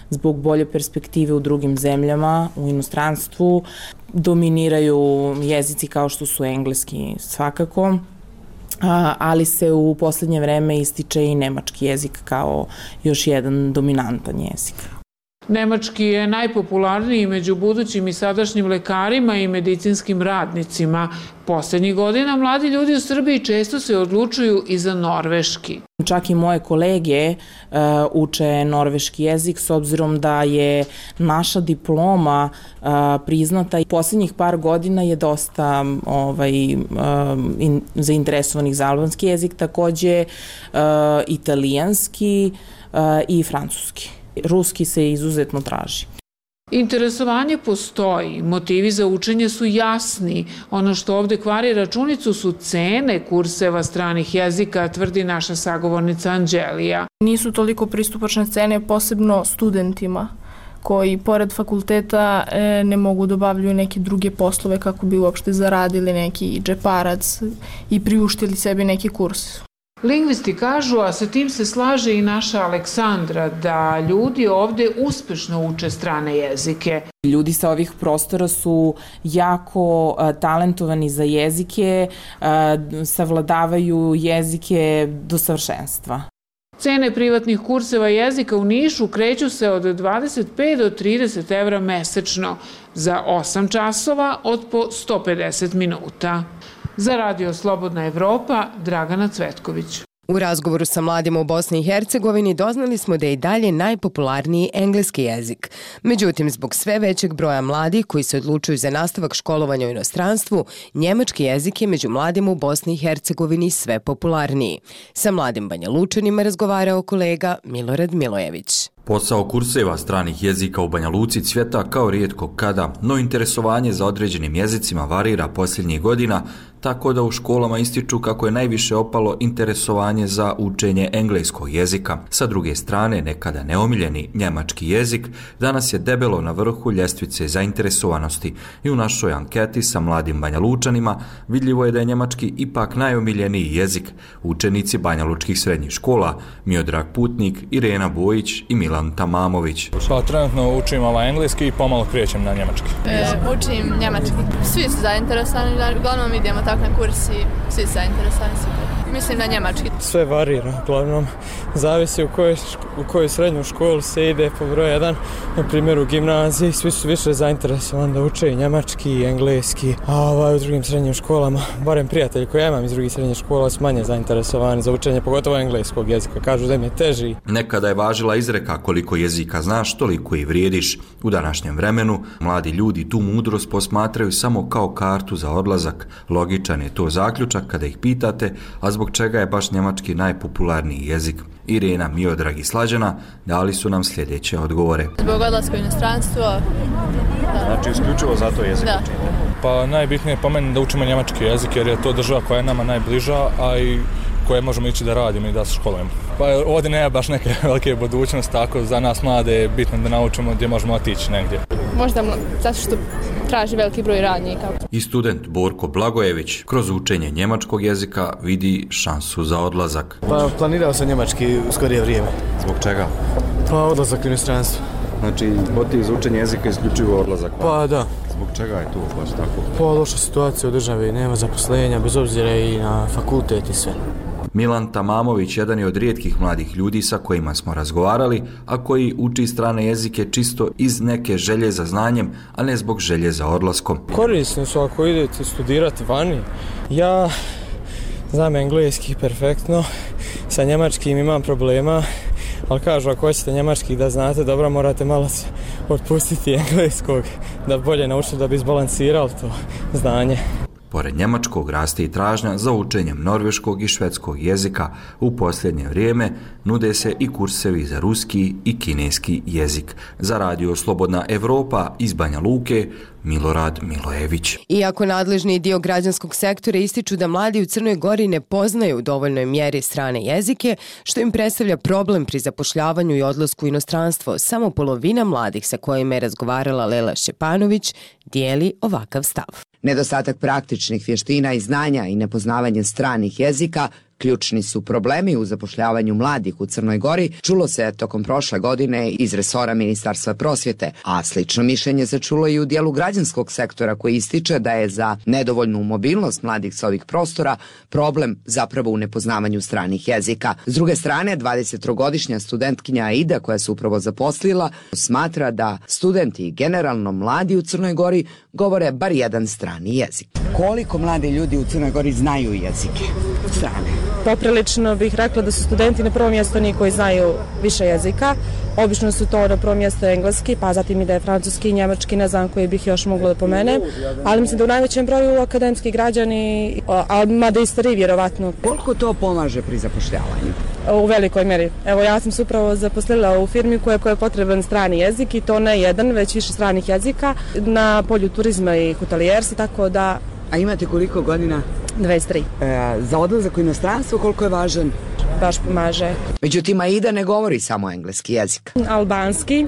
zbog bolje perspektive u drugim zemljama, u inostranstvu. Dominiraju jezici kao što su engleski svakako, ali se u posljednje vreme ističe i nemački jezik kao još jedan dominantan jezik. Nemački je najpopularniji među budućim i sadašnjim lekarima i medicinskim radnicima. Posljednjih godina mladi ljudi u Srbiji često se odlučuju i za norveški. Čak i moje kolege uh, uče norveški jezik s obzirom da je naša diploma uh, priznata i posljednjih par godina je dosta ovaj, uh, in, zainteresovanih za albanski jezik, takođe uh, italijanski uh, i francuski. Ruski se izuzetno traži. Interesovanje postoji, motivi za učenje su jasni. Ono što ovde kvari računicu su cene kurseva stranih jezika, tvrdi naša sagovornica Anđelija. Nisu toliko pristupačne cene, posebno studentima koji pored fakulteta ne mogu da obavljaju neke druge poslove kako bi uopšte zaradili neki džeparac i priuštili sebi neki kurs. Lingvisti kažu, a sa tim se slaže i naša Aleksandra, da ljudi ovde uspešno uče strane jezike. Ljudi sa ovih prostora su jako a, talentovani za jezike, a, savladavaju jezike do savršenstva. Cene privatnih kurseva jezika u Nišu kreću se od dvadeset pet do trideset evra mesečno, za osam časova od po sto pedeset minuta. Za Radio Slobodna Evropa, Dragana Cvetković. U razgovoru sa mladima u Bosni i Hercegovini doznali smo da je i dalje najpopularniji engleski jezik. Međutim, zbog sve većeg broja mladih koji se odlučuju za nastavak školovanja u inostranstvu, njemački jezik je među mladima u Bosni i Hercegovini sve popularniji. Sa mladim Banja Lučanima razgovarao kolega Milorad Milojević. Posao kurseva stranih jezika u Banja Luci cvjeta kao rijetko kada, no interesovanje za određenim jezicima varira posljednjih godina, tako da u školama ističu kako je najviše opalo interesovanje za učenje engleskog jezika. Sa druge strane, nekada neomiljeni njemački jezik danas je debelo na vrhu ljestvice zainteresovanosti i u našoj anketi sa mladim Banja Lučanima vidljivo je da je njemački ipak najomiljeniji jezik. Učenici Banja Lučkih srednjih škola Miodrag Putnik, Irena Bojić i Milan Tamamović. Pa, trenutno učim ovaj engleski i pomalo krećem na njemački. E, učim njemački. Svi su zainteresovani, uglavnom idemo tako na kurs i svi su zainteresovani. Mislim na njemački. Sve varira, uglavnom zavisi u kojoj, u kojoj srednju školu se ide po broj jedan. Na primjer u gimnaziji svi su više zainteresovani da uče i njemački i engleski, a ovaj, u drugim srednjim školama, barem prijatelji koje ja imam iz drugih srednjih škola, su manje zainteresovani za učenje, pogotovo engleskog jezika. Kažu da im je teži. Nekada je važila izreka koliko jezika znaš, toliko i vrijediš. U današnjem vremenu mladi ljudi tu mudrost posmatraju samo kao kartu za odlazak. Logičan je to zaključak kada ih pitate, a zbog čega je baš njemački najpopularniji jezik. Irena, Miodrag i Slađana dali su nam sljedeće odgovore. Zbog odlaska u inostranstvo. Znači isključivo zato jezik da. učite? Pa najbitnije je po meni da učimo njemački jezik jer je to država koja je nama najbliža, a i koje možemo ići da radimo i da se školujemo. Pa ovdje nema baš neke velike budućnosti, tako za nas mlade je bitno da naučimo gdje možemo otići negdje. Možda zato što traži veliki broj radnika. I student Borko Blagojević kroz učenje njemačkog jezika vidi šansu za odlazak. Pa planirao sam njemački u skorije vrijeme. Zbog čega? Pa odlazak u inostranstvo. Znači, motiv za učenje jezika isključivo odlazak? Pa, pa da. Zbog čega je to baš tako? Pa loša situacija u državi, nema zaposlenja, bez obzira i na fakultet i sve. Milan Tamamović jedan je od rijetkih mladih ljudi sa kojima smo razgovarali, a koji uči strane jezike čisto iz neke želje za znanjem, a ne zbog želje za odlaskom. Korisno su ako idete studirati vani. Ja znam engleski perfektno, sa njemačkim imam problema, ali kažu ako hoćete njemački da znate dobro, morate malo se otpustiti engleskog da bolje naučite da bi izbalansirali to znanje. Pored njemačkog raste i tražnja za učenjem norveškog i švedskog jezika. U posljednje vrijeme nude se i kursevi za ruski i kineski jezik. Za Radio Slobodna Evropa iz Banja Luke, Milorad Milojević. Iako nadležni dio građanskog sektora ističu da mladi u Crnoj Gori ne poznaju u dovoljnoj mjeri strane jezike, što im predstavlja problem pri zapošljavanju i odlasku u inostranstvo, samo polovina mladih sa kojima je razgovarala Lela Šćepanović dijeli ovakav stav. Nedostatak praktičnih vještina i znanja i nepoznavanje stranih jezika ključni su problemi u zapošljavanju mladih u Crnoj Gori, čulo se tokom prošle godine iz resora Ministarstva prosvjete, a slično mišljenje se čulo i u dijelu građanskog sektora koji ističe da je za nedovoljnu mobilnost mladih sa ovih prostora problem zapravo u nepoznavanju stranih jezika. S druge strane, dvadesettrogodišnja studentkinja Aida koja se upravo zaposlila smatra da studenti generalno mladi u Crnoj Gori govore bar jedan strani jezik. Koliko mladi ljudi u Crnoj Gori znaju jezike strane? Poprilično bih rekla da su studenti na prvom mjestu oni koji znaju više jezika. Obično su to na prvom mjestu engleski, pa zatim ide francuski, njemački, ne znam koji bih još mogla da pomenem. Ali mislim da u najvećem broju akademski građani, a mada i stariji vjerovatno. Koliko to pomaže pri zapošljavanju? U velikoj mjeri. Evo ja sam se upravo zaposlila u firmi koja je potreban strani jezik i to ne jedan, već više stranih jezika na polju turizma i hotelijerstva, tako da... A imate koliko godina? dvadeset tri. E, za odlazak u inostranstvo koliko je važan baš pomaže. Međutim, Aida ne govori samo engleski jezik. Albanski,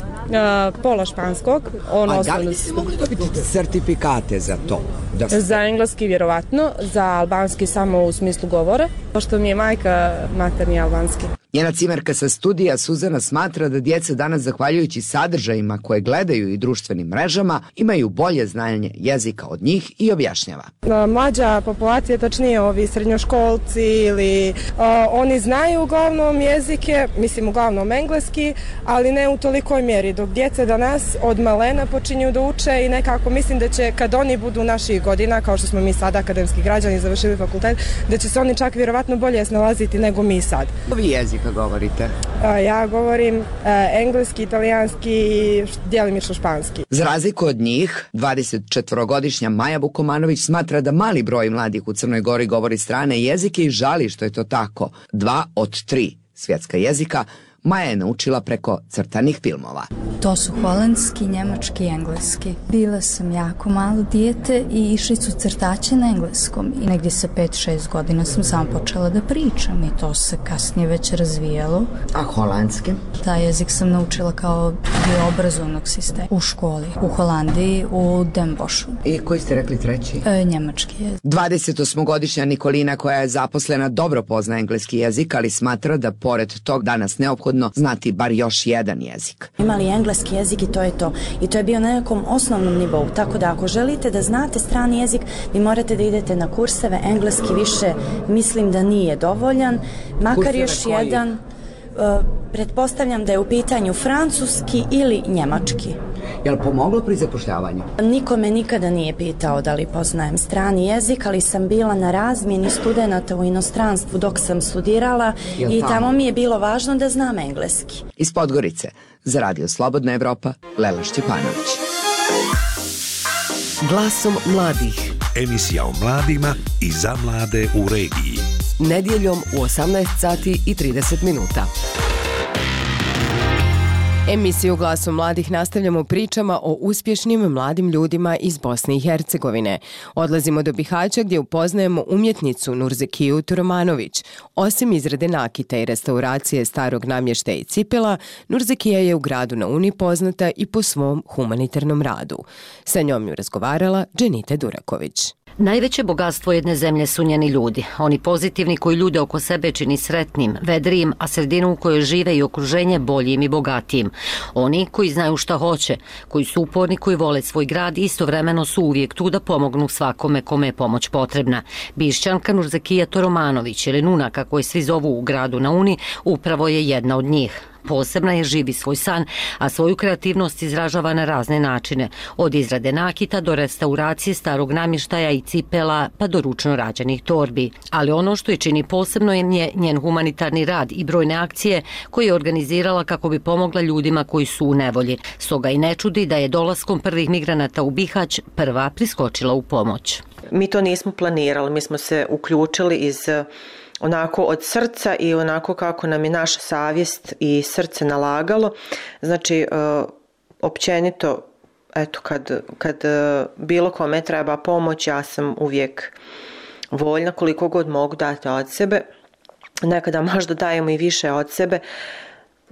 pola španskog. On A da li biste mogli dobiti sertifikate za to? Da ste... Za engleski vjerovatno, za albanski samo u smislu govora, pošto mi je majka materni albanski. Njena cimerka sa studija Suzana smatra da djeca danas, zahvaljujući sadržajima koje gledaju i društvenim mrežama, imaju bolje znanje jezika od njih i objašnjava. Mlađa populacija, tačnije ovi srednjoškolci ili uh, oni znaju uglavnom jezike, mislim uglavnom engleski, ali ne u tolikoj mjeri, dok djeca danas od malena počinju da uče i nekako mislim da će kad oni budu naših godina, kao što smo mi sad akademski građani završili fakultet, da će se oni čak vjerovatno bolje snalaziti nego mi sad. Ovi jezik kad govorite? Ja govorim engleski, italijanski i djelimično španski. Za razliku od njih, dvadesetčetvorogodišnja Maja Vukomanović smatra da mali broj mladih u Crnoj Gori govori strane jezike i žali što je to tako. Dva od tri svjetska jezika Maja je naučila preko crtanih filmova. To su holandski, njemački i engleski. Bila sam jako malo dijete i išli su crtače na engleskom. I negdje sa pet šest godina sam samo počela da pričam i to se kasnije već razvijalo. A holandski? Taj jezik sam naučila kao dio obrazovnog sistema u školi, u Holandiji, u Den Boschu. I koji ste rekli treći? E, njemački jezik. dvadesetosmogodišnja Nikolina, koja je zaposlena, dobro pozna engleski jezik, ali smatra da pored tog danas neophodno znati bar još jedan jezik. Imali engleski jezik i to je to. I to je bio na nekom osnovnom nivou. Tako da ako želite da znate strani jezik, vi morate da idete na kurseve. Engleski više mislim da nije dovoljan. Makar kurseve još koji? jedan... Uh, pretpostavljam da je u pitanju francuski ili njemački. Je li pomoglo pri zapošljavanju? Niko me nikada nije pitao da li poznajem strani jezik, ali sam bila na razmjeni studenata u inostranstvu dok sam studirala i tamo? tamo mi je bilo važno da znam engleski. Iz Podgorice, za Radio Slobodna Evropa, Lela Šćepanović. Glasom mladih. Emisija o mladima i za mlade u regiji. Nedjeljom u osamnaest sati i trideset minuta. Emisiju Glasom mladih nastavljamo pričama o uspješnim mladim ljudima iz Bosne i Hercegovine. Odlazimo do Bihaća gdje upoznajemo umjetnicu Nurzekiju Turomanović. Osim izrade nakita i restauracije starog namještaja i cipela, Nurzekija je u gradu na Uni poznata i po svom humanitarnom radu. Sa njom ju razgovarala Dženite Duraković. Najveće bogatstvo jedne zemlje su njeni ljudi. Oni pozitivni koji ljude oko sebe čini sretnim, vedrijim, a sredinu u kojoj žive i okruženje boljim i bogatijim. Oni koji znaju šta hoće, koji su uporni, koji vole svoj grad i istovremeno su uvijek tu da pomognu svakome kome je pomoć potrebna. Bišćanka Nurzekija Turomanović, ili Nuna kako je svi zovu u gradu na Uni, upravo je jedna od njih. Posebna je, živi svoj san, a svoju kreativnost izražava na razne načine, od izrade nakita do restauracije starog namještaja i cipela pa do ručno rađenih torbi. Ali ono što je čini posebno je nje, njen humanitarni rad i brojne akcije koje je organizirala kako bi pomogla ljudima koji su u nevolji. Stoga i ne čudi da je dolaskom prvih migranata u Bihać prva priskočila u pomoć. Mi to nismo planirali, mi smo se uključili iz onako od srca i onako kako nam je naša savjest i srce nalagalo. Znači, općenito, eto, kad, kad bilo kome treba pomoć, ja sam uvijek voljna koliko god mogu dati od sebe. Nekada možda dajemo i više od sebe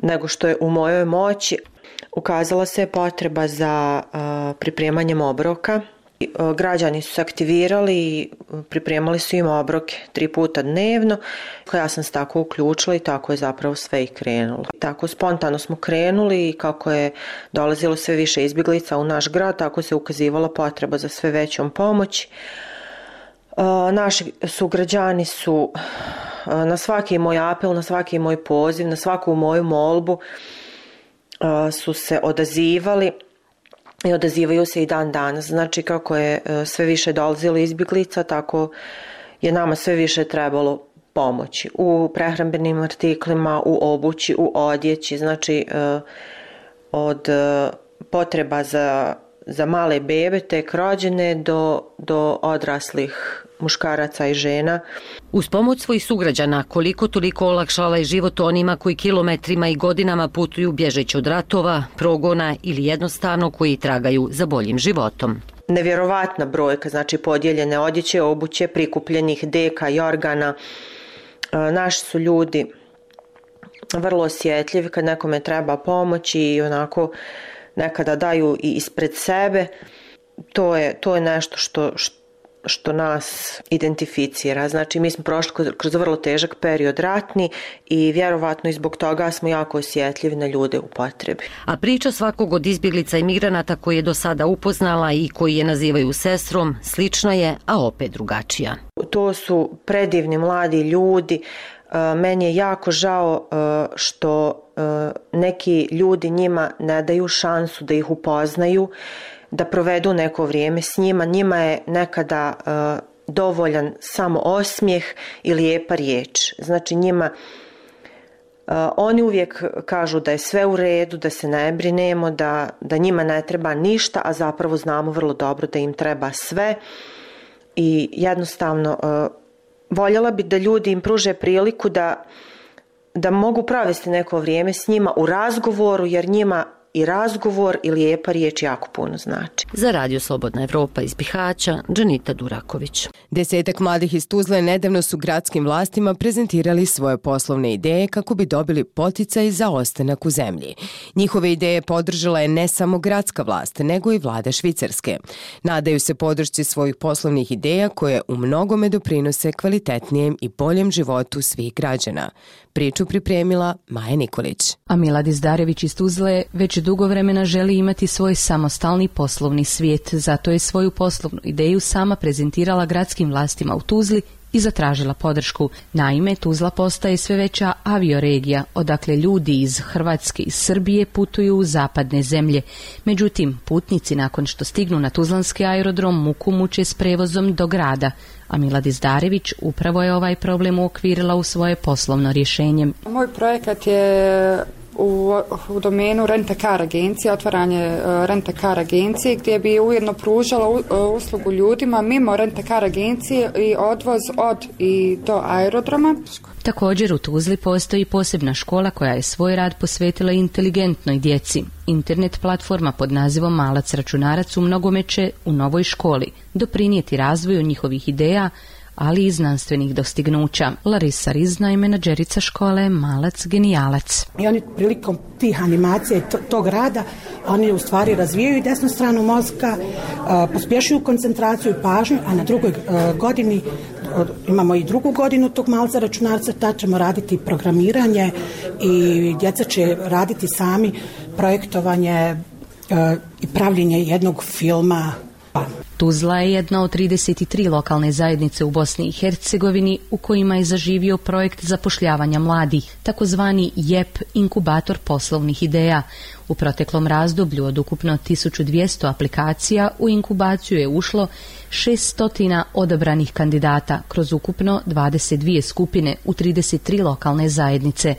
nego što je u mojoj moći. Ukazala se je potreba za pripremanjem obroka. Građani su se aktivirali i pripremali su im obroke tri puta dnevno. Ja sam se tako uključila i tako je zapravo sve i krenulo. Tako spontano smo krenuli i kako je dolazilo sve više izbjeglica u naš grad, tako se ukazivala potreba za sve većom pomoći. Naši sugrađani su na svaki moj apel, na svaki moj poziv, na svaku moju molbu su se odazivali. I odazivaju se i dan danas. Znači, kako je sve više dolazilo izbjeglica, tako je nama sve više trebalo pomoći u prehrambenim artiklima, u obući, u odjeći. Znači, od potreba za, za male bebe, tek rođene, do, do odraslih muškaraca i žena. Uz pomoć svojih sugrađana, koliko toliko olakšala je život onima koji kilometrima i godinama putuju bježeći od ratova, progona ili jednostavno koji tragaju za boljim životom. Nevjerovatna brojka, znači podijeljene odjeće, obuće, prikupljenih deka i organa. Naši su ljudi vrlo osjetljivi kad nekome treba pomoć i onako nekada daju i ispred sebe. To je, to je nešto što, što nas identificira. Znači, mi smo prošli kroz vrlo težak period ratni i vjerovatno i zbog toga smo jako osjetljivi na ljude u potrebi. A priča svakog od izbjeglica i migranata koji je do sada upoznala i koji je nazivaju sestrom, slična je, a opet drugačija. To su predivni mladi ljudi. Meni je jako žao što neki ljudi njima ne daju šansu da ih upoznaju, da provedu neko vrijeme s njima. Njima je nekada uh, dovoljan samo osmijeh i lijepa riječ. Znači njima, uh, oni uvijek kažu da je sve u redu, da se ne brinemo, da, da njima ne treba ništa, a zapravo znamo vrlo dobro da im treba sve. I jednostavno uh, voljela bi da ljudi im pruže priliku da, da mogu provesti neko vrijeme s njima u razgovoru, jer njima i razgovor i lijepa riječ jako puno znači. Za Radio Slobodna Evropa iz Bihaća, Džanita Duraković. Desetak mladih iz Tuzle nedavno su gradskim vlastima prezentirali svoje poslovne ideje kako bi dobili poticaj za ostanak u zemlji. Njihove ideje podržala je ne samo gradska vlast, nego i vlada Švicarske. Nadaju se podršci svojih poslovnih ideja koje u mnogome doprinose kvalitetnijem i boljem životu svih građana. Priču pripremila Maja Nikolić. A Milad Izdarević iz Tuzle već dugo vremena želi imati svoj samostalni poslovni svijet, zato je svoju poslovnu ideju sama prezentirala gradskim vlastima u Tuzli i zatražila podršku. Naime, Tuzla postaje sve veća avioregija, odakle ljudi iz Hrvatske i Srbije putuju u zapadne zemlje. Međutim, putnici nakon što stignu na tuzlanski aerodrom muku muče s prevozom do grada, a Milad Izdarević upravo je ovaj problem uokvirila u svoje poslovno rješenje. Moj projekat je u, u domenu rent-a-car agencije, otvaranje uh, rent-a-car agencije gdje bi ujedno pružala uh, uslugu ljudima mimo rent-a-car agencije i odvoz od i do aerodroma. Također u Tuzli postoji posebna škola koja je svoj rad posvetila inteligentnoj djeci. Internet platforma pod nazivom Malac računarac u mnogome će u novoj školi doprinijeti razvoju njihovih ideja, ali i znanstvenih dostignuća. Larisa Rizna je menadžerica škole Malac genijalac. I oni prilikom tih animacija i tog rada, oni u stvari razvijaju desnu stranu mozga, pospješuju koncentraciju i pažnju, a na drugoj godini imamo i drugu godinu tog Malca računarca, tad ćemo raditi programiranje i djeca će raditi sami projektovanje i pravljenje jednog filma. Tuzla je jedna od trideset tri lokalne zajednice u Bosni i Hercegovini u kojima je zaživio projekt zapošljavanja mladih, takozvani J E P inkubator poslovnih ideja. U proteklom razdoblju od ukupno tisuću dvjesto aplikacija u inkubaciju je ušlo šesto odabranih kandidata kroz ukupno dvadeset dvije skupine u trideset tri lokalne zajednice.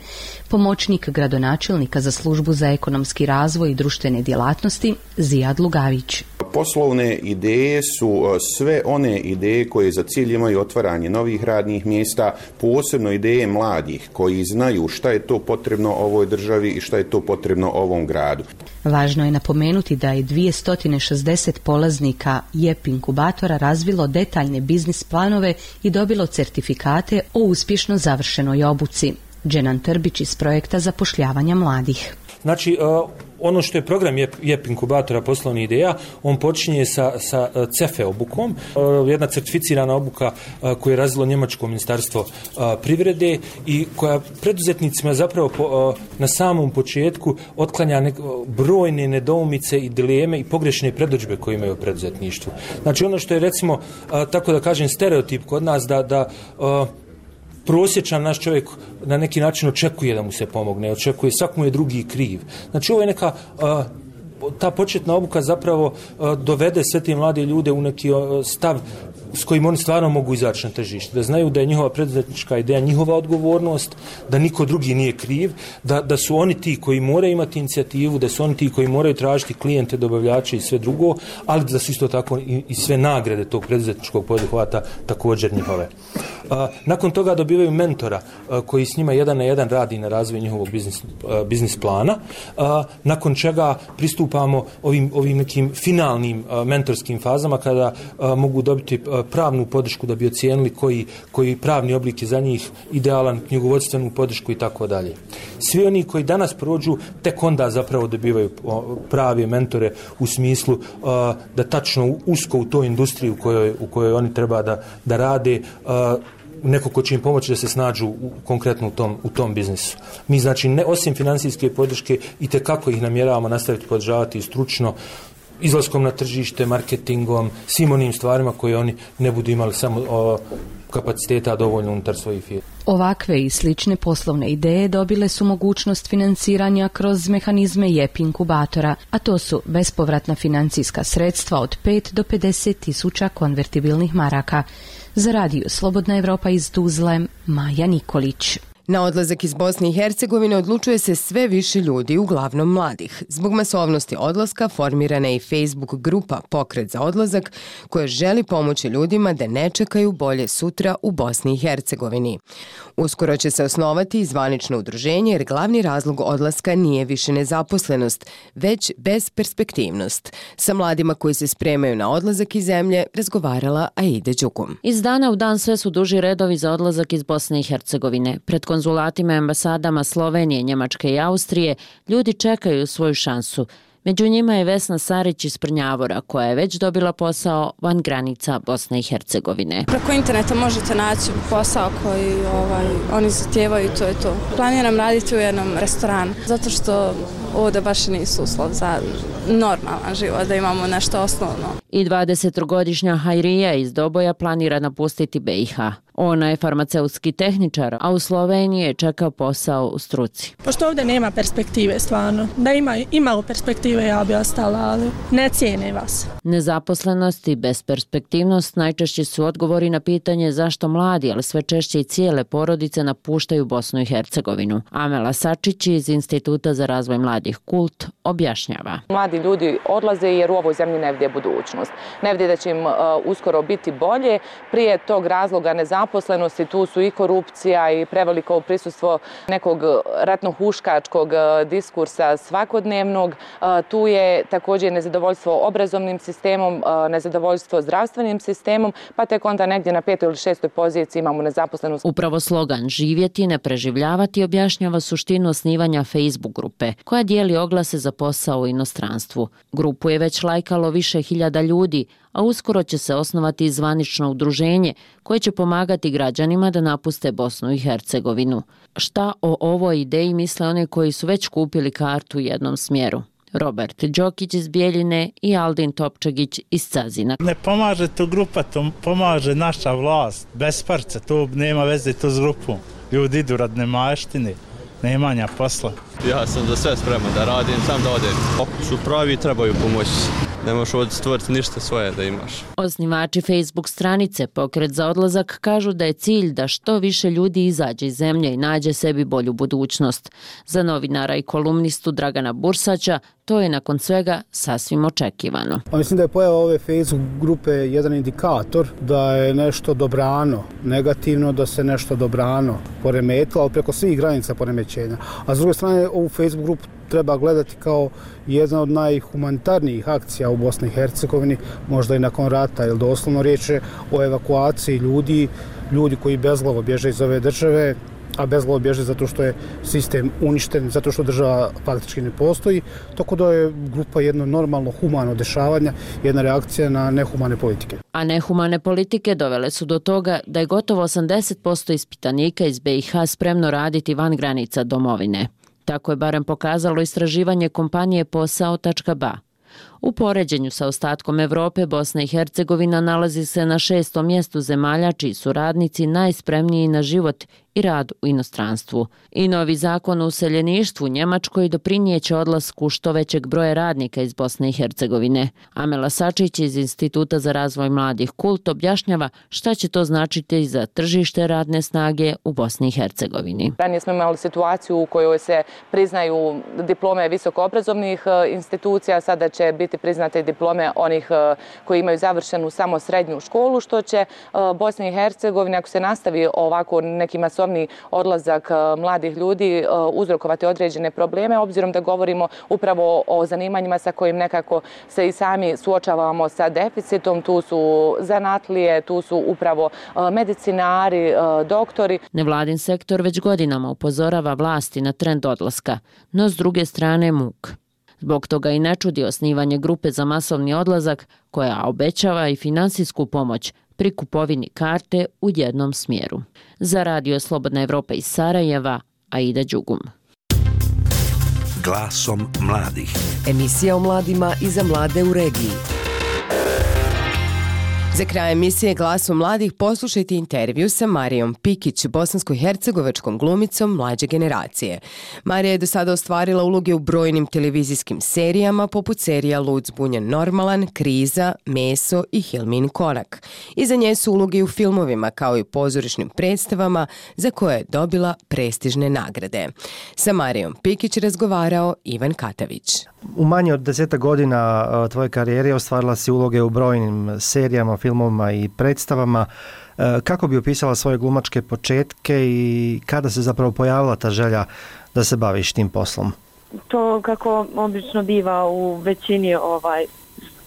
Pomoćnik gradonačelnika za službu za ekonomski razvoj i društvene djelatnosti Zijad Lugavić. Poslovne ideje su sve one ideje koje za cilj imaju otvaranje novih radnih mjesta, posebno ideje mladih koji znaju šta je to potrebno ovoj državi i šta je to potrebno ovom gradu. Važno je napomenuti da je dvjesto šezdeset polaznika J E P inkubatora razvilo detaljne biznis planove i dobilo certifikate o uspješno završenoj obuci. Dženan Trbić iz projekta zapošljavanja mladih. Znači, ono što je program J E P inkubatora poslovnih ideja, on počinje sa, sa C E F E obukom, jedna certificirana obuka koju je razvilo njemačko ministarstvo privrede i koja preduzetnicima zapravo po, na samom početku otklanja nek, brojne nedoumice i dileme i pogrešne predodžbe koje imaju u preduzetništvu. Znači, ono što je recimo, tako da kažem, stereotip kod nas da, da prosječan naš čovjek na neki način očekuje da mu se pomogne, očekuje, svak mu je drugi kriv. Znači ovo je neka, ta početna obuka zapravo dovede sve te mlade ljude u neki stav s kojim oni stvarno mogu izaći na tržište, da znaju da je njihova preduzetnička ideja njihova odgovornost, da niko drugi nije kriv, da, da su oni ti koji moraju imati inicijativu, da su oni ti koji moraju tražiti klijente, dobavljače i sve drugo, ali da su isto tako i, i sve nagrade tog preduzetničkog poduhvata također njihove. A, nakon toga dobivaju mentora a, koji s njima jedan na jedan radi na razvoju njihovog biznis, a, biznis plana, a, nakon čega pristupamo ovim, ovim nekim finalnim a, mentorskim fazama kada a, mogu dobiti a, pravnu podršku da bi ocijenili koji, koji pravni oblik je za njih idealan, knjigovodstvenu podršku i tako dalje. Svi oni koji danas prođu, tek onda zapravo dobivaju prave mentore u smislu uh, da tačno usko u toj industriji u kojoj, u kojoj oni treba da, da rade, uh, neko ko će im pomoći da se snađu u, konkretno u tom, u tom biznisu. Mi znači, ne, osim financijske podrške, i tekako ih namjeravamo nastaviti podržavati i stručno, izlaskom na tržište, marketingom, svim onim stvarima koje oni ne budu imali samo o, kapaciteta dovoljno unutar svojih firmi. Ovakve i slične poslovne ideje dobile su mogućnost financiranja kroz mehanizme J E P inkubatora, a to su bespovratna financijska sredstva od pet do pedeset tisuća konvertibilnih maraka. Za radio Slobodna Evropa iz Tuzle, Maja Nikolić. Na odlazak iz Bosne i Hercegovine odlučuje se sve više ljudi, uglavnom mladih. Zbog masovnosti odlaska formirana je i Facebook grupa Pokret za odlazak, koja želi pomoći ljudima da ne čekaju bolje sutra u Bosni i Hercegovini. Uskoro će se osnovati zvanično udruženje, jer glavni razlog odlaska nije više nezaposlenost, već bezperspektivnost. Sa mladima koji se spremaju na odlazak iz zemlje razgovarala Aida Đugum. Iz dana u dan sve su duži redovi za odlazak iz Bosne i Hercegovine. Pred konzulatima i ambasadama Slovenije, Njemačke i Austrije ljudi čekaju svoju šansu. Među njima je Vesna Sarić iz Prnjavora, koja je već dobila posao van granica Bosne i Hercegovine. Preko interneta možete naći posao koji ovaj, oni zahtijevaju i to je to. Planiram raditi u jednom restoranu, zato što ovdje baš nisu uslov za normalan život, da imamo nešto osnovno. I dvadesettrogodišnja Hajrija iz Doboja planira napustiti B i H. Ona je farmaceutski tehničar, a u Sloveniji je čekao posao u struci. Pošto ovdje nema perspektive stvarno, da ima imalo perspektive ja bi ostala, ali ne cijene vas. Nezaposlenost i besperspektivnost najčešći su odgovori na pitanje zašto mladi, ali sve češće i cijele porodice napuštaju Bosnu i Hercegovinu. Amela Sačić iz Instituta za razvoj mladih Kult objašnjava. Mladi ljudi odlaze jer u ovoj zemlji ne vide budućnost. Ne vide da će im uh, uskoro biti bolje. Prije tog razloga nezaposlenosti tu su i korupcija i preveliko prisustvo nekog ratno-huškačkog diskursa svakodnevnog. Uh, tu je također nezadovoljstvo obrazovnim sistemom, uh, nezadovoljstvo zdravstvenim sistemom, pa tek onda negdje na petoj ili šestoj poziciji imamo nezaposlenost. Upravo slogan živjeti, ne preživljavati objašnjava suštinu osnivanja Facebook grupe, koja dijeli oglase za posao u inostranstvu. Grupu je već lajkalo više hiljada ljudi, a uskoro će se osnovati i zvanično udruženje koje će pomagati građanima da napuste Bosnu i Hercegovinu. Šta o ovoj ideji misle oni koji su već kupili kartu u jednom smjeru? Robert Đokić iz Bijeljine i Aldin Topčagić iz Cazina. Ne pomaže to grupa, to pomaže naša vlast. Bez parca, to nema veze to s grupom. Ljudi idu rad nemaštine, nemanja posla. Ja sam za sve spreman da radim, sam da odem. Ako su pravi, trebaju pomoći. Ne možeš ovdje stvoriti ništa svoje da imaš. Osnivači Facebook stranice Pokret za odlazak kažu da je cilj da što više ljudi izađe iz zemlje i nađe sebi bolju budućnost. Za novinara i kolumnistu Dragana Bursaća to je nakon svega sasvim očekivano. Mislim da je pojava ove Facebook grupe jedan indikator da je nešto dobrano, negativno da se nešto dobrano poremetilo, ali preko svih granica poremećenja. A s druge strane, ovu Facebook grupu treba gledati kao jedna od najhumanitarnijih akcija u Bosni i Hercegovini, možda i nakon rata, jer doslovno riječ je o evakuaciji ljudi, ljudi koji bezglavo bježe iz ove države, a bezglavo bježe zato što je sistem uništen, zato što država faktički ne postoji, tako da je grupa jedno normalno humano dešavanja, jedna reakcija na nehumane politike. A nehumane politike dovele su do toga da je gotovo osamdeset posto ispitanika iz B i H spremno raditi van granica domovine. Tako je barem pokazalo istraživanje kompanije posao tačka ba. U poređenju sa ostatkom Evrope, Bosna i Hercegovina nalazi se na šestom mjestu zemalja čiji su radnici najspremniji na život i rad u inostranstvu. I novi zakon o useljeništvu u Njemačkoj doprinijeće odlasku što većeg broja radnika iz Bosne i Hercegovine. Amela Sačić iz Instituta za razvoj mladih Kult objašnjava šta će to značiti za tržište radne snage u Bosni i Hercegovini. Ranije smo imali situaciju u kojoj se priznaju diplome visokoobrazovnih institucija, sada će biti biti priznate diplome onih koji imaju završenu samo srednju školu, što će Bosni i Hercegovini, ako se nastavi ovako neki masovni odlazak mladih ljudi, uzrokovati određene probleme, obzirom da govorimo upravo o zanimanjima sa kojim nekako se i sami suočavamo sa deficitom. Tu su zanatlije, tu su upravo medicinari, doktori. Nevladin sektor već godinama upozorava vlasti na trend odlaska, no s druge strane muk. Zbog toga i ne čudi osnivanje grupe za masovni odlazak koja obećava i finansijsku pomoć pri kupovini karte u jednom smjeru. Za Radio Slobodna Evropa iz Sarajeva, Aida Đugum. Glasom mladih. Emisija o mladima i za mlade u regiji. Za kraj emisije Glasom mladih poslušajte intervju sa Marijom Pikić, bosansko-hercegovačkom glumicom mlađe generacije. Marija je do sada ostvarila uloge u brojnim televizijskim serijama poput serija Lud zbunjen normalan, Kriza, Meso i Hilmin konak. Iza nje su uloge u filmovima kao i pozorišnim predstavama za koje je dobila prestižne nagrade. Sa Marijom Pikić razgovarao Ivan Katavić. U manje od deseta godina tvoje karijere ostvarila si uloge u brojnim serijama, filmovima i predstavama. Kako bi opisala svoje glumačke početke i kada se zapravo pojavila ta želja da se baviš tim poslom? To kako obično biva u većini ovaj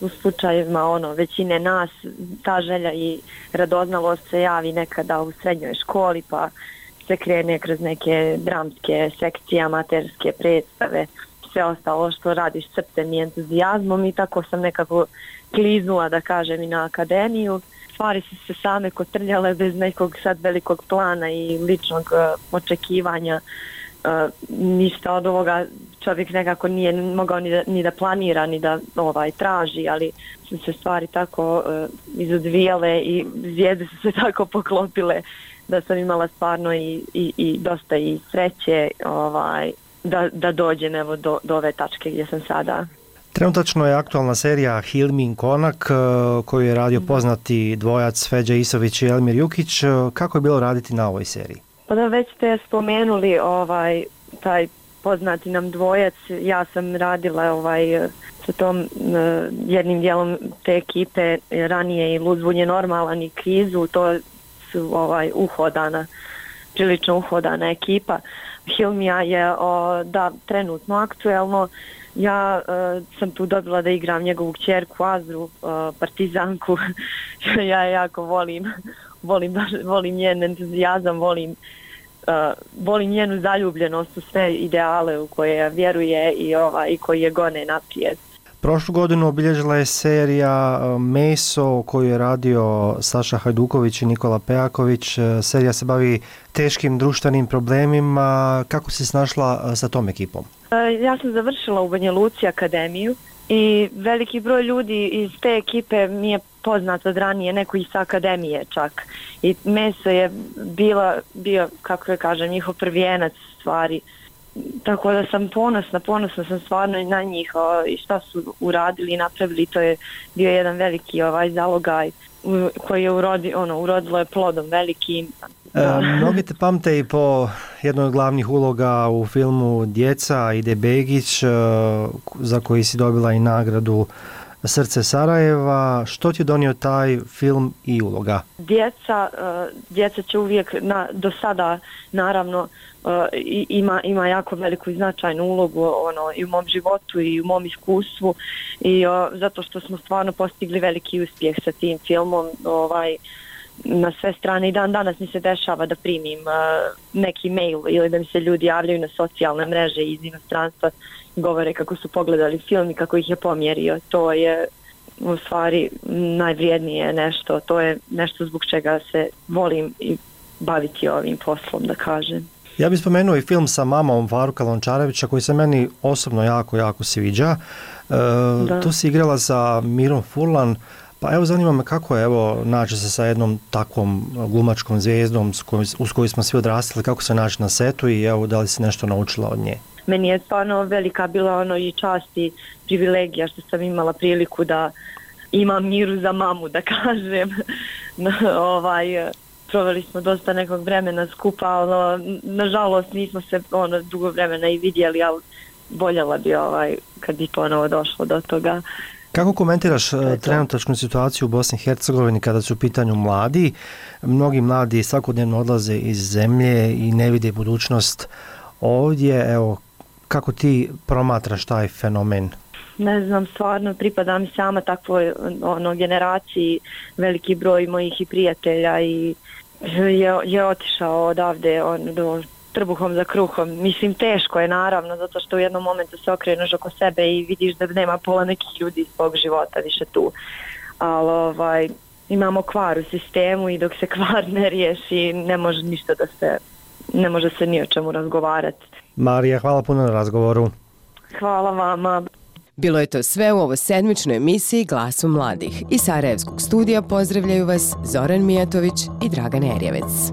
u slučajevima ono većine nas, ta želja i radoznalost se javi nekada u srednjoj školi, pa se krene kroz neke dramske sekcije, amaterske predstave, sve ostalo što radiš srcem i entuzijazmom, i tako sam nekako kliznula, da kažem, i na akademiju. Stvari su se same kotrljale bez nekog sad velikog plana i ličnog uh, očekivanja. Uh, ništa od ovoga čovjek nekako nije mogao ni da, ni da planira, ni da ovaj traži, ali su se stvari tako uh, izodvijale i zvijezde su se tako poklopile da sam imala stvarno i, i, i dosta i sreće ovaj, da, da dođem evo do, do ove tačke gdje sam sada. Trenutačno je aktualna serija Hilmin konak koju je radio poznati dvojac Feđa Isović i Elmir Jukić. Kako je bilo raditi na ovoj seriji? Pa da, već ste spomenuli ovaj, taj poznati nam dvojac. Ja sam radila ovaj, sa tom uh, jednim dijelom te ekipe ranije i Lud zbunjen normalan i Krizu. To su ovaj, uhodana, prilično uhodana ekipa. Hilmija je o, da, trenutno aktuelno. Ja uh, sam tu dobila da igram njegovu kćerku Azru, uh, partizanku. Ja jako volim, volim, volim njen entuzijazam, volim, uh, volim njenu zaljubljenost u sve ideale u koje vjeruje i, ova, i koji je gone naprijed. Prošlu godinu obilježila je serija Meso koju je radio Saša Hajduković i Nikola Pejaković. Serija se bavi teškim društvenim problemima. Kako si snašla sa tom ekipom? Ja sam završila u Banja Luci akademiju i veliki broj ljudi iz te ekipe mi je poznat od ranije, neko iz akademije čak. I Meso je bila, bio, kako da kažem, njihov prvijenac stvari. Tako da sam ponosna, ponosna sam stvarno i na njih o, i šta su uradili i napravili. To je bio jedan veliki ovaj zalogaj u, koji je urodi, ono, urodilo je plodom velikim. E, mnogi te pamte i po jednoj od glavnih uloga u filmu Djeca Ide Begić, e, za koji si dobila i nagradu Srce Sarajeva. Što ti je donio taj film i uloga? Djeca, uh, djeca će uvijek, na, do sada naravno, uh, ima, ima jako veliku i značajnu ulogu ono, i u mom životu i u mom iskustvu, i uh, zato što smo stvarno postigli veliki uspjeh sa tim filmom. Ovaj, na sve strane i dan danas mi se dešava da primim uh, neki mail ili da mi se ljudi javljaju na socijalne mreže iz inostranstva, govore kako su pogledali film i kako ih je pomjerio. To je u stvari najvrijednije nešto, to je nešto zbog čega se volim i baviti ovim poslom, da kažem. Ja bih spomenuo i film sa mamom Faruka Lončarevića koji se meni osobno jako, jako sviđa. E, tu si igrala sa Mirom Furlan. Pa evo, zanima me kako je evo naći se sa jednom takvom glumačkom zvijezdom s kojom, uz koju smo svi odrastali, kako se naći na setu i evo da li si nešto naučila od nje? Meni je stvarno velika bila ono i čast i privilegija što sam imala priliku da imam Miru za mamu, da kažem. ovaj, proveli smo dosta nekog vremena skupa, ali nažalost nismo se ono dugo vremena i vidjeli, ali voljela bi ovaj, kad bi ponovo došlo do toga. Kako komentiraš trenutačnu situaciju u Bosni i Hercegovini kada su u pitanju mladi? Mnogi mladi svakodnevno odlaze iz zemlje i ne vide budućnost ovdje. Evo, kako ti promatraš taj fenomen? Ne znam, stvarno pripadam sama takvoj ono, generaciji, veliki broj mojih i prijatelja i je, je otišao odavde on, do trbuhom za kruhom. Mislim, teško je naravno, zato što u jednom momentu se okreneš oko sebe i vidiš da nema pola nekih ljudi iz svog života više tu. Ali ovaj, imamo kvar u sistemu i dok se kvar ne riješi, ne može ništa da se, ne može se ni o čemu razgovarati. Marija, hvala puno na razgovoru. Hvala vama. Bilo je to sve u ovo sedmičnoj emisiji Glasu mladih. Iz Sarajevskog studija pozdravljaju vas Zoran Mijatović i Dragan Erjevec.